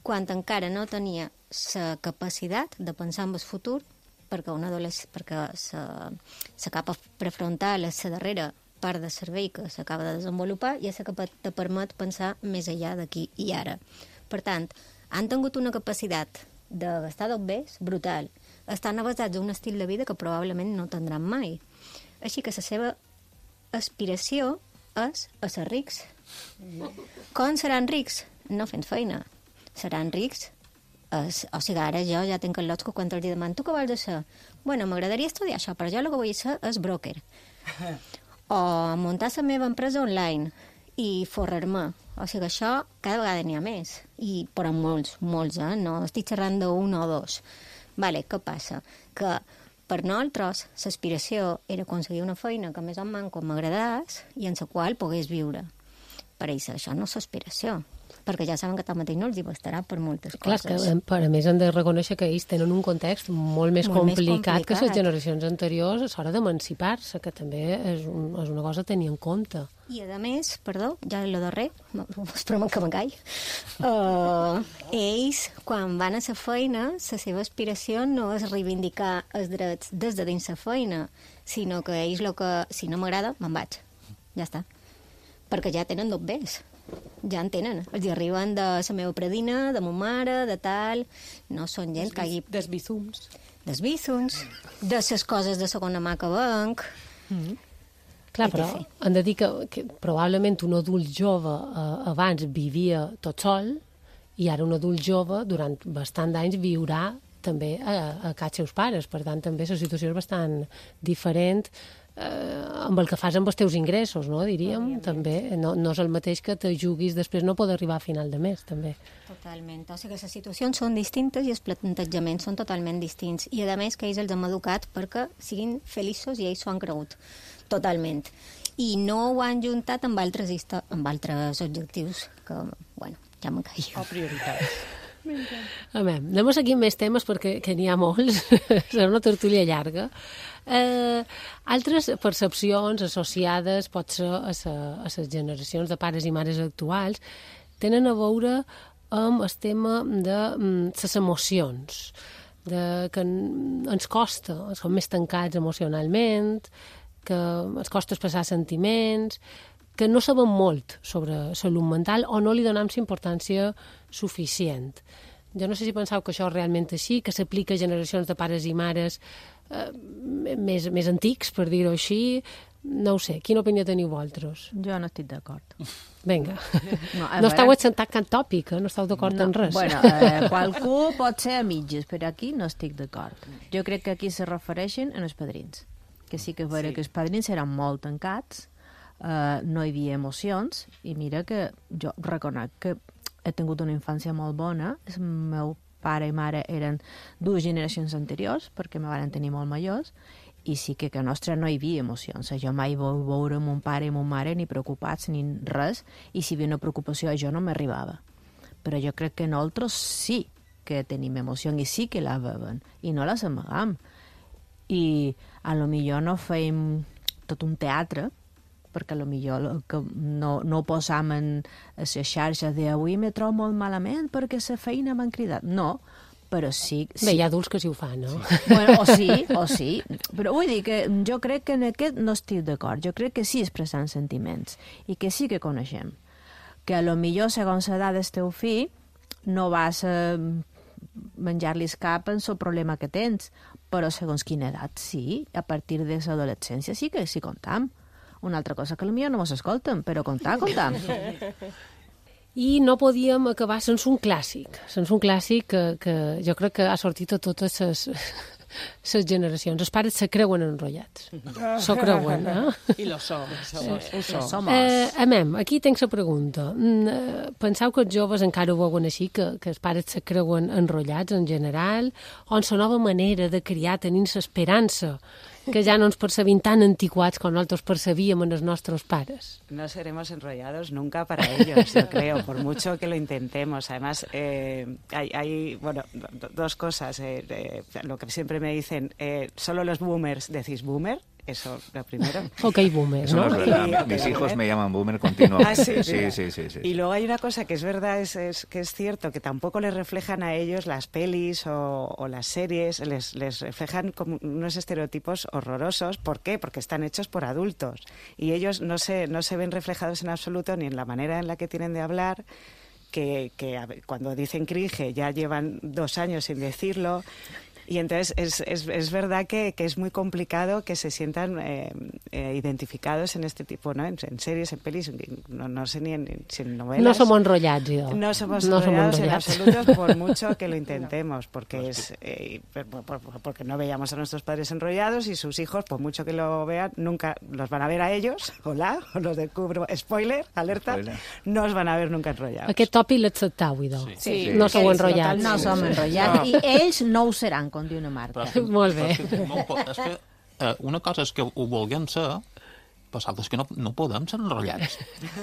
G: quan encara no tenia la capacitat de pensar en el futur, perquè un adolescent, perquè la capa prefrontal és la darrera part de cervell que s'acaba de desenvolupar i és la que te permet pensar més enllà d'aquí i ara. Per tant, han tingut una capacitat de gastar dobbers brutal. Estan basats en un estil de vida que probablement no tindran mai. Així que la seva aspiració és a ser rics. Com seran rics? No fent feina. Seran rics. Es, o sigui, ara jo ja tinc el lots que quan els demano, tu què vols ser? Bueno, m'agradaria estudiar això, però jo el que vull ser és broker. O muntar la meva empresa online i forrar-me. O sigui, això cada vegada n'hi ha més. I, però molts, molts, eh? No estic xerrant d'un o dos. Vale, què passa? Que per nosaltres l'aspiració era aconseguir una feina que més o manco m'agradés i en la qual pogués viure. Per ells això no és aspiració, perquè ja saben que tanmateix no els hi bastarà per moltes
A: Clar,
G: coses.
A: Clar, que a més hem de reconèixer que ells tenen un context molt més,
G: molt
A: complicat,
G: més complicat
A: que les generacions anteriors a l'hora d'emancipar-se, que també és, un, és una cosa a tenir en compte.
G: I a més, perdó, ja lo darrer, esperem que m'encall, uh, ells, quan van a la feina, la seva aspiració no és reivindicar els drets des de dins la feina, sinó que ells, lo que, si no m'agrada, me'n vaig. Ja està. Perquè ja tenen dobbers. Ja en tenen. Els hi arriben de la meva predina, de ma mare, de tal... No són gent que hagi...
H: Des bízums.
G: Des bízums, de les coses de segona mà que venc...
A: Mm-hmm. Clar, però hem de dir que, que probablement un adult jove eh, abans vivia tot sol i ara un adult jove durant bastant d'anys viurà també a, a casa seus pares. Per tant, també la situació és bastant diferent eh, amb el que fas amb els teus ingressos, no? Diríem, també. No, no és el mateix que te juguis després no poder arribar a final de mes, també.
G: Totalment. O sigui que les situacions són distintes i els plantejaments són totalment distints. I, a més, que ells els hem educat perquè siguin feliços i ells s'ho han cregut. Totalment. I no ho han juntat amb altres, amb altres objectius que, bueno, ja me'n caia.
H: O prioritats.
A: A veure, anem a seguir més temes perquè que n'hi ha molts. Serà una tertúlia llarga. Eh, altres percepcions associades, pot ser a, sa, a les generacions de pares i mares actuals, tenen a veure amb el tema de mm, les emocions, de, que ens costa, som més tancats emocionalment, que ens costa expressar sentiments, que no sabem molt sobre salut mental o no li donem importància suficient. Jo no sé si penseu que això és realment així, que s'aplica a generacions de pares i mares eh, més, més antics, per dir-ho així, No ho sé, quina opinió teniu vosaltres?
I: Jo no estic d'acord.
A: Vinga.
I: No,
A: no esteu assentat cap tòpic, eh? No esteu d'acord
I: no,
A: en res.
I: Bueno, eh, qualcú pot ser a mitges, però aquí no estic d'acord. Jo crec que aquí se refereixen en els padrins. Que sí que és vera sí. que els padrins eren molt tancats, eh, no hi havia emocions, i mira que jo reconec que he tingut una infància molt bona. El meu pare i mare eren dues generacions anteriors, perquè me van tenir molt majors, i sí que a nostra no hi havia emocions. Jo mai vau veure mon pare i mon mare ni preocupats ni res, i si hi havia una preocupació jo no m'arribava. Però jo crec que nosaltres sí que tenim emoció i sí que la veuen, i no les amagam. I a lo millor no feim tot un teatre, perquè a lo millor que no, no posam en les xarxes de avui me trobo molt malament perquè la feina m'han cridat. No, però sí... sí.
A: Bé, hi ha adults que sí ho fan, no?
I: Sí. Bueno, o sí, o sí. Però vull dir que jo crec que en aquest no estic d'acord. Jo crec que sí expressant sentiments i que sí que coneixem. Que a lo millor, segons l'edat del teu fill, no vas a menjar-li cap en el problema que tens, però segons quina edat sí, a partir de l'adolescència sí que sí comptam. Una altra cosa que potser no mos escolten, però comptar, comptar.
A: I no podíem acabar sense un clàssic, sense un clàssic que, que jo crec que ha sortit a totes les, les generacions. Els pares se creuen enrotllats. S'ho creuen, eh?
E: I lo som. Ho som.
A: Eh, amem, aquí tenc la pregunta. Penseu que els joves encara ho veuen així, que, que els pares se creuen enrotllats en general, o en la nova manera de criar tenint l'esperança que ja no ens percebim tan antiquats com nosaltres percebíem en els nostres pares?
E: No seremos enrollados nunca para ellos, yo creo, por mucho que lo intentemos. Además, eh, hay, hay, bueno, do, dos cosas. Eh, eh, lo que siempre me dicen, eh, solo los boomers decís boomer. Eso, lo primero.
A: Ok, boomer,
F: Eso
A: ¿no?
F: no es verdad.
E: Y, okay,
F: Mis hijos
E: boomer.
F: me llaman boomer continuamente.
E: Ah, sí,
F: sí, sí, sí, sí.
E: Y luego hay una cosa que es verdad, es, es que es cierto, que tampoco les reflejan a ellos las pelis o, o las series, les, les reflejan como unos estereotipos horrorosos. ¿Por qué? Porque están hechos por adultos. Y ellos no se, no se ven reflejados en absoluto ni en la manera en la que tienen de hablar, que, que a ver, cuando dicen cringe ya llevan dos años sin decirlo. Y entonces es, es, es verdad que, que es muy complicado que se sientan eh, eh, identificados en este tipo, ¿no? En, en series, en pelis, no, no sé ni en, si en novelas.
A: No somos enrollats, jo.
E: No somos
A: no
E: enrollados
A: somos
E: en
A: enrollats.
E: absoluto, por mucho que lo intentemos, porque es eh, por, por, porque no veíamos a nuestros padres enrollados y sus hijos, por mucho que lo vean, nunca los van a ver a ellos, hola, os los descubro, spoiler, alerta, Spoiler. No os van a ver nunca enrollados.
A: Aquest tòpic l'acceptau, idò.
E: Sí. Sí.
A: No sou
E: Ells,
A: enrotllats.
I: No som enrotllats,
J: No.
I: i ells no ho seran, com diu una marca.
J: Però,
A: Molt bé.
J: però és que, no, ho po- és que eh, una cosa és que ho vulguem ser, però l'altra és que no, no podem ser enrotllats.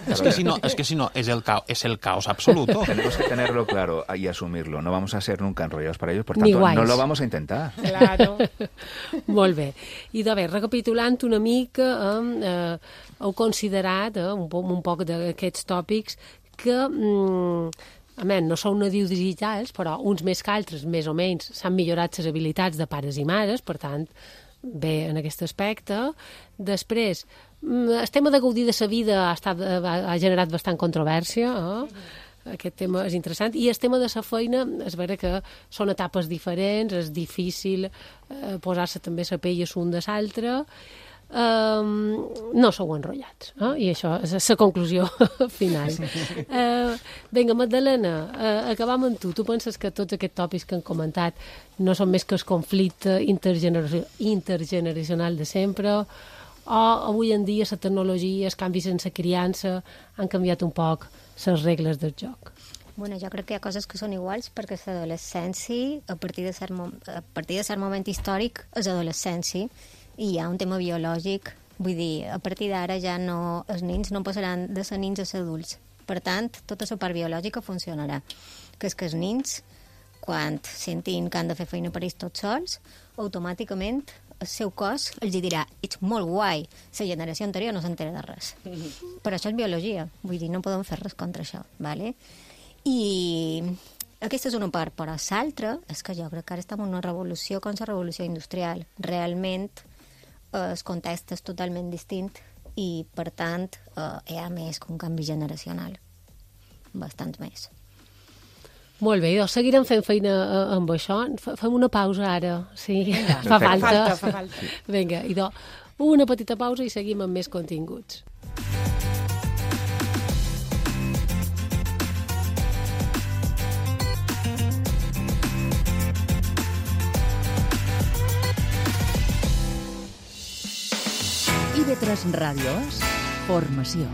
J: és, que si no, és que si no, és el, caos, és el caos absoluto.
F: Tenemos que tenerlo claro y asumirlo. No vamos a ser nunca enrollados para ellos, por
A: Ni
F: tanto,
A: guais.
F: no lo vamos a intentar.
H: Claro.
A: Molt bé. I de bé, recapitulant una mica, eh, eh, heu considerat eh, un, po un poc d'aquests tòpics que... Mm, a més, no són nadius digitals, però uns més que altres, més o menys, s'han millorat les habilitats de pares i mares, per tant, bé en aquest aspecte. Després, el tema de gaudir de la vida ha, estat, ha generat bastant controvèrsia, eh? Aquest tema és interessant. I el tema de la feina, és vera que són etapes diferents, és difícil eh, posar-se també la pell l'un de l'altre. Um, no sou enrotllats, eh? I això és la conclusió final. Uh, vinga, Magdalena, uh, acabam amb tu. Tu penses que tots aquests tòpics que han comentat no són més que el conflicte intergeneracional, intergeneracional de sempre, o avui en dia la tecnologia, els canvis en la criança han canviat un poc les regles del joc?
G: Bueno, jo crec que hi ha coses que són iguals perquè l'adolescència, a partir de cert, mom a partir de cert moment històric, és adolescència, i hi ha un tema biològic, vull dir, a partir d'ara ja no, els nens no passaran de ser nens a ser adults. Per tant, tota la part biològica funcionarà. Que és que els nens, quan sentin que han de fer feina per ells tots sols, automàticament el seu cos els dirà, ets molt guai, la generació anterior no s'entera de res. Però això és biologia, vull dir, no podem fer res contra això, ¿vale? I aquesta és una part, però l'altra és que jo crec que ara estem en una revolució com la revolució industrial. Realment el context és totalment distint i, per tant, eh, hi ha més que un canvi generacional. Bastant més.
A: Molt bé, doncs seguirem fent feina eh, amb això. F Fem una pausa ara, sí, Vinga, fa falta.
H: Falta, fa falta.
A: Vinga, idò, Una petita pausa i seguim amb més continguts.
K: I ve tres Ràdios, formació.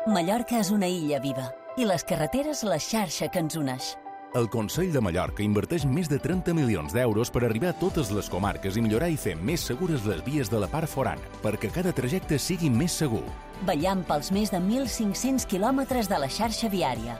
D: Mallorca és una illa viva i les carreteres la xarxa que ens uneix.
L: El Consell de Mallorca inverteix més de trenta milions d'euros per arribar a totes les comarques i millorar i fer més segures les vies de la part forana, perquè cada trajecte sigui més segur.
D: Vetllant pels més de mil cinc-cents quilòmetres de la xarxa viària.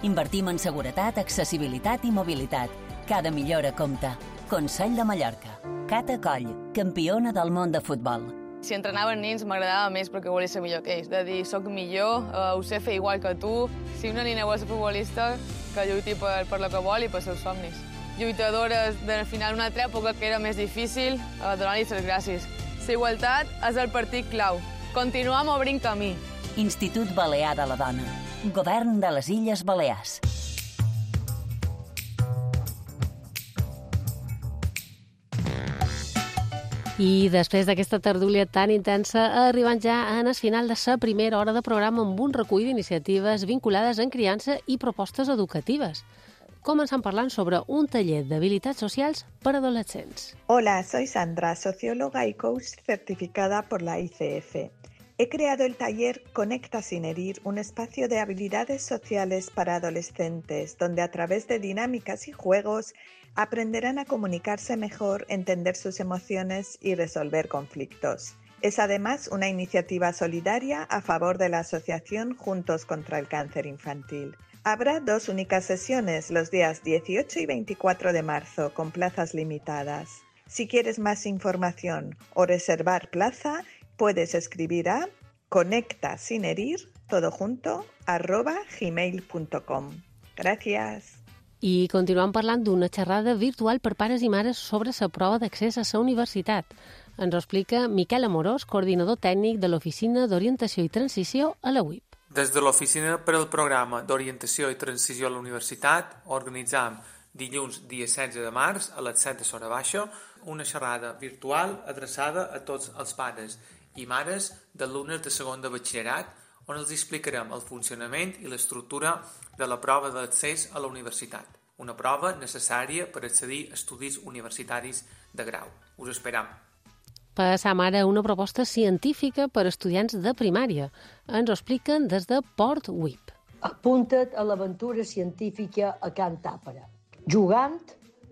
D: Invertim en seguretat, accessibilitat i mobilitat. Cada millora compta. Consell de Mallorca. Cata Coll, campiona del món de futbol.
M: Si entrenaven nins m'agradava més perquè volia ser millor que ells. De dir, soc millor, uh, ho sé fer igual que tu. Si una nina vol ser futbolista, que lluiti per, per lo que vol i per seus somnis. Lluitadores del final d'una altra època que era més difícil, uh, donar-li les gràcies. La igualtat és el partit clau. Continuem obrint camí.
D: Institut Balear de la Dona. Govern de les Illes Balears.
A: I després d'aquesta tertúlia tan intensa, arribant ja en el final de la primera hora de programa amb un recull d'iniciatives vinculades en criança i propostes educatives. Començant parlant sobre un taller d'habilitats socials per a adolescents.
N: Hola, soy Sandra, socióloga y coach certificada por la I C F. He creado el taller Conecta sin herir, un espacio de habilidades sociales para adolescentes, donde a través de dinámicas y juegos aprenderán a comunicarse mejor, entender sus emociones y resolver conflictos. Es además una iniciativa solidaria a favor de la asociación Juntos contra el Cáncer Infantil. Habrá dos únicas sesiones los días dieciocho y veinticuatro de marzo, con plazas limitadas. Si quieres más información o reservar plaza, puedes escribir a conecta sin herir, todo junto, arroba gmail punto com. Gracias.
A: I continuem parlant d'una xerrada virtual per pares i mares sobre la prova d'accés a la universitat. Ens ho explica Miquel Amorós, coordinador tècnic de l'Oficina d'Orientació i Transició a la U I P.
O: Des de l'Oficina per al Programa d'Orientació i Transició a la Universitat organitzam dilluns, dia setze de març, a les set hores baixa, una xerrada virtual adreçada a tots els pares i mares d'alumnes de segon de batxillerat, on els explicarem el funcionament i l'estructura de la prova d'accés a la universitat, una prova necessària per accedir a estudis universitaris de grau. Us esperam.
A: Passam ara a una proposta científica per a estudiants de primària. Ens ho expliquen des de Port U I P.
P: Apunta't a l'aventura científica a Can Tàpera. Jugant,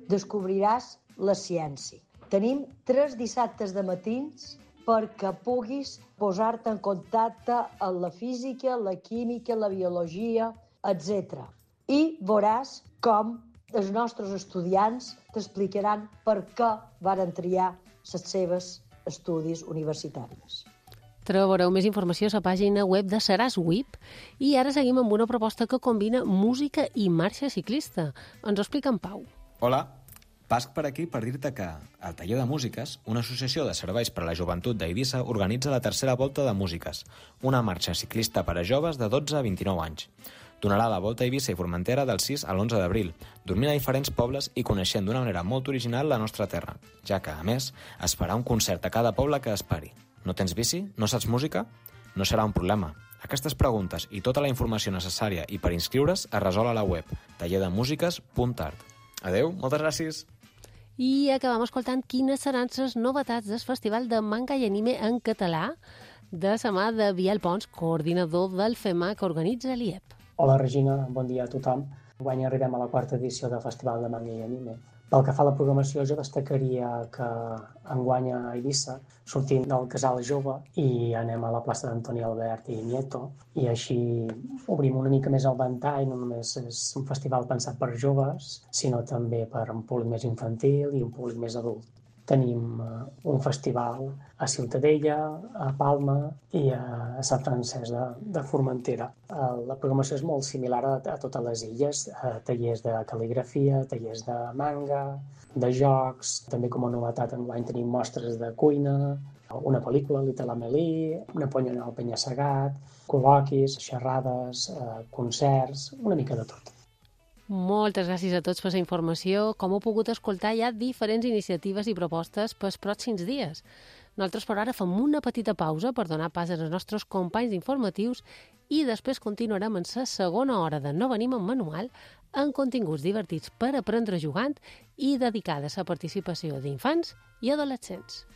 P: descobriràs la ciència. Tenim tres dissabtes de matins perquè puguis posar-te en contacte amb la física, la química, la biologia, etcètera. I veuràs com els nostres estudiants t'explicaran per què varen triar les seves estudis universitaris.
A: Trobareu més informació a la pàgina web de Seràs U I P i ara seguim amb una proposta que combina música i marxa ciclista. Ens ho explica en Pau.
Q: Hola, pasc per aquí per dir-te que el Taller de Músiques, una associació de serveis per a la joventut d'Eivissa, organitza la tercera volta de músiques, una marxa ciclista per a joves de dotze a vint-i-nou anys. Donarà la volta a Eivissa i Formentera del sis a l'onze d'abril, dormint a diferents pobles i coneixent d'una manera molt original la nostra terra, ja que, a més, es farà un concert a cada poble que es pari. No tens bici? No saps música? No serà un problema. Aquestes preguntes i tota la informació necessària i per inscriure's es resol a la web taller de músiques punt art. Adeu, moltes gràcies!
A: I acabam escoltant quines seran les novetats del Festival de Manga i Anime en català de la mà de Biel Pons, coordinador del FEMA que organitza l'I E P.
R: Hola Regina, bon dia a tothom. Enguany arribem a la quarta edició del Festival de Manga i Anime. Pel que fa a la programació, jo destacaria que enguany a Eivissa sortim del Casal Jove i anem a la plaça d'Antoni Albert i Nieto, i així obrim una mica més el ventall. No només és un festival pensat per joves, sinó també per un públic més infantil i un públic més adult. Tenim un festival a Ciutadella, a Palma i a Sant Francesc de, de Formentera. La programació és molt similar a, a totes les illes, tallers de cal·ligrafia, tallers de manga, de jocs, també com a novetat enguany tenim mostres de cuina, una pel·lícula, Little Amélie, una ponyona al Penya-segat, col·loquis, xerrades, concerts, una mica de tot.
A: Moltes gràcies a tots per la informació. Com heu pogut escoltar, hi ha diferents iniciatives i propostes pels pròxims dies. Nosaltres, per ara, fem una petita pausa per donar pas als nostres companys informatius i després continuarem en la segona hora de No venim en manual amb continguts divertits per aprendre jugant i dedicada a la participació d'infants i adolescents.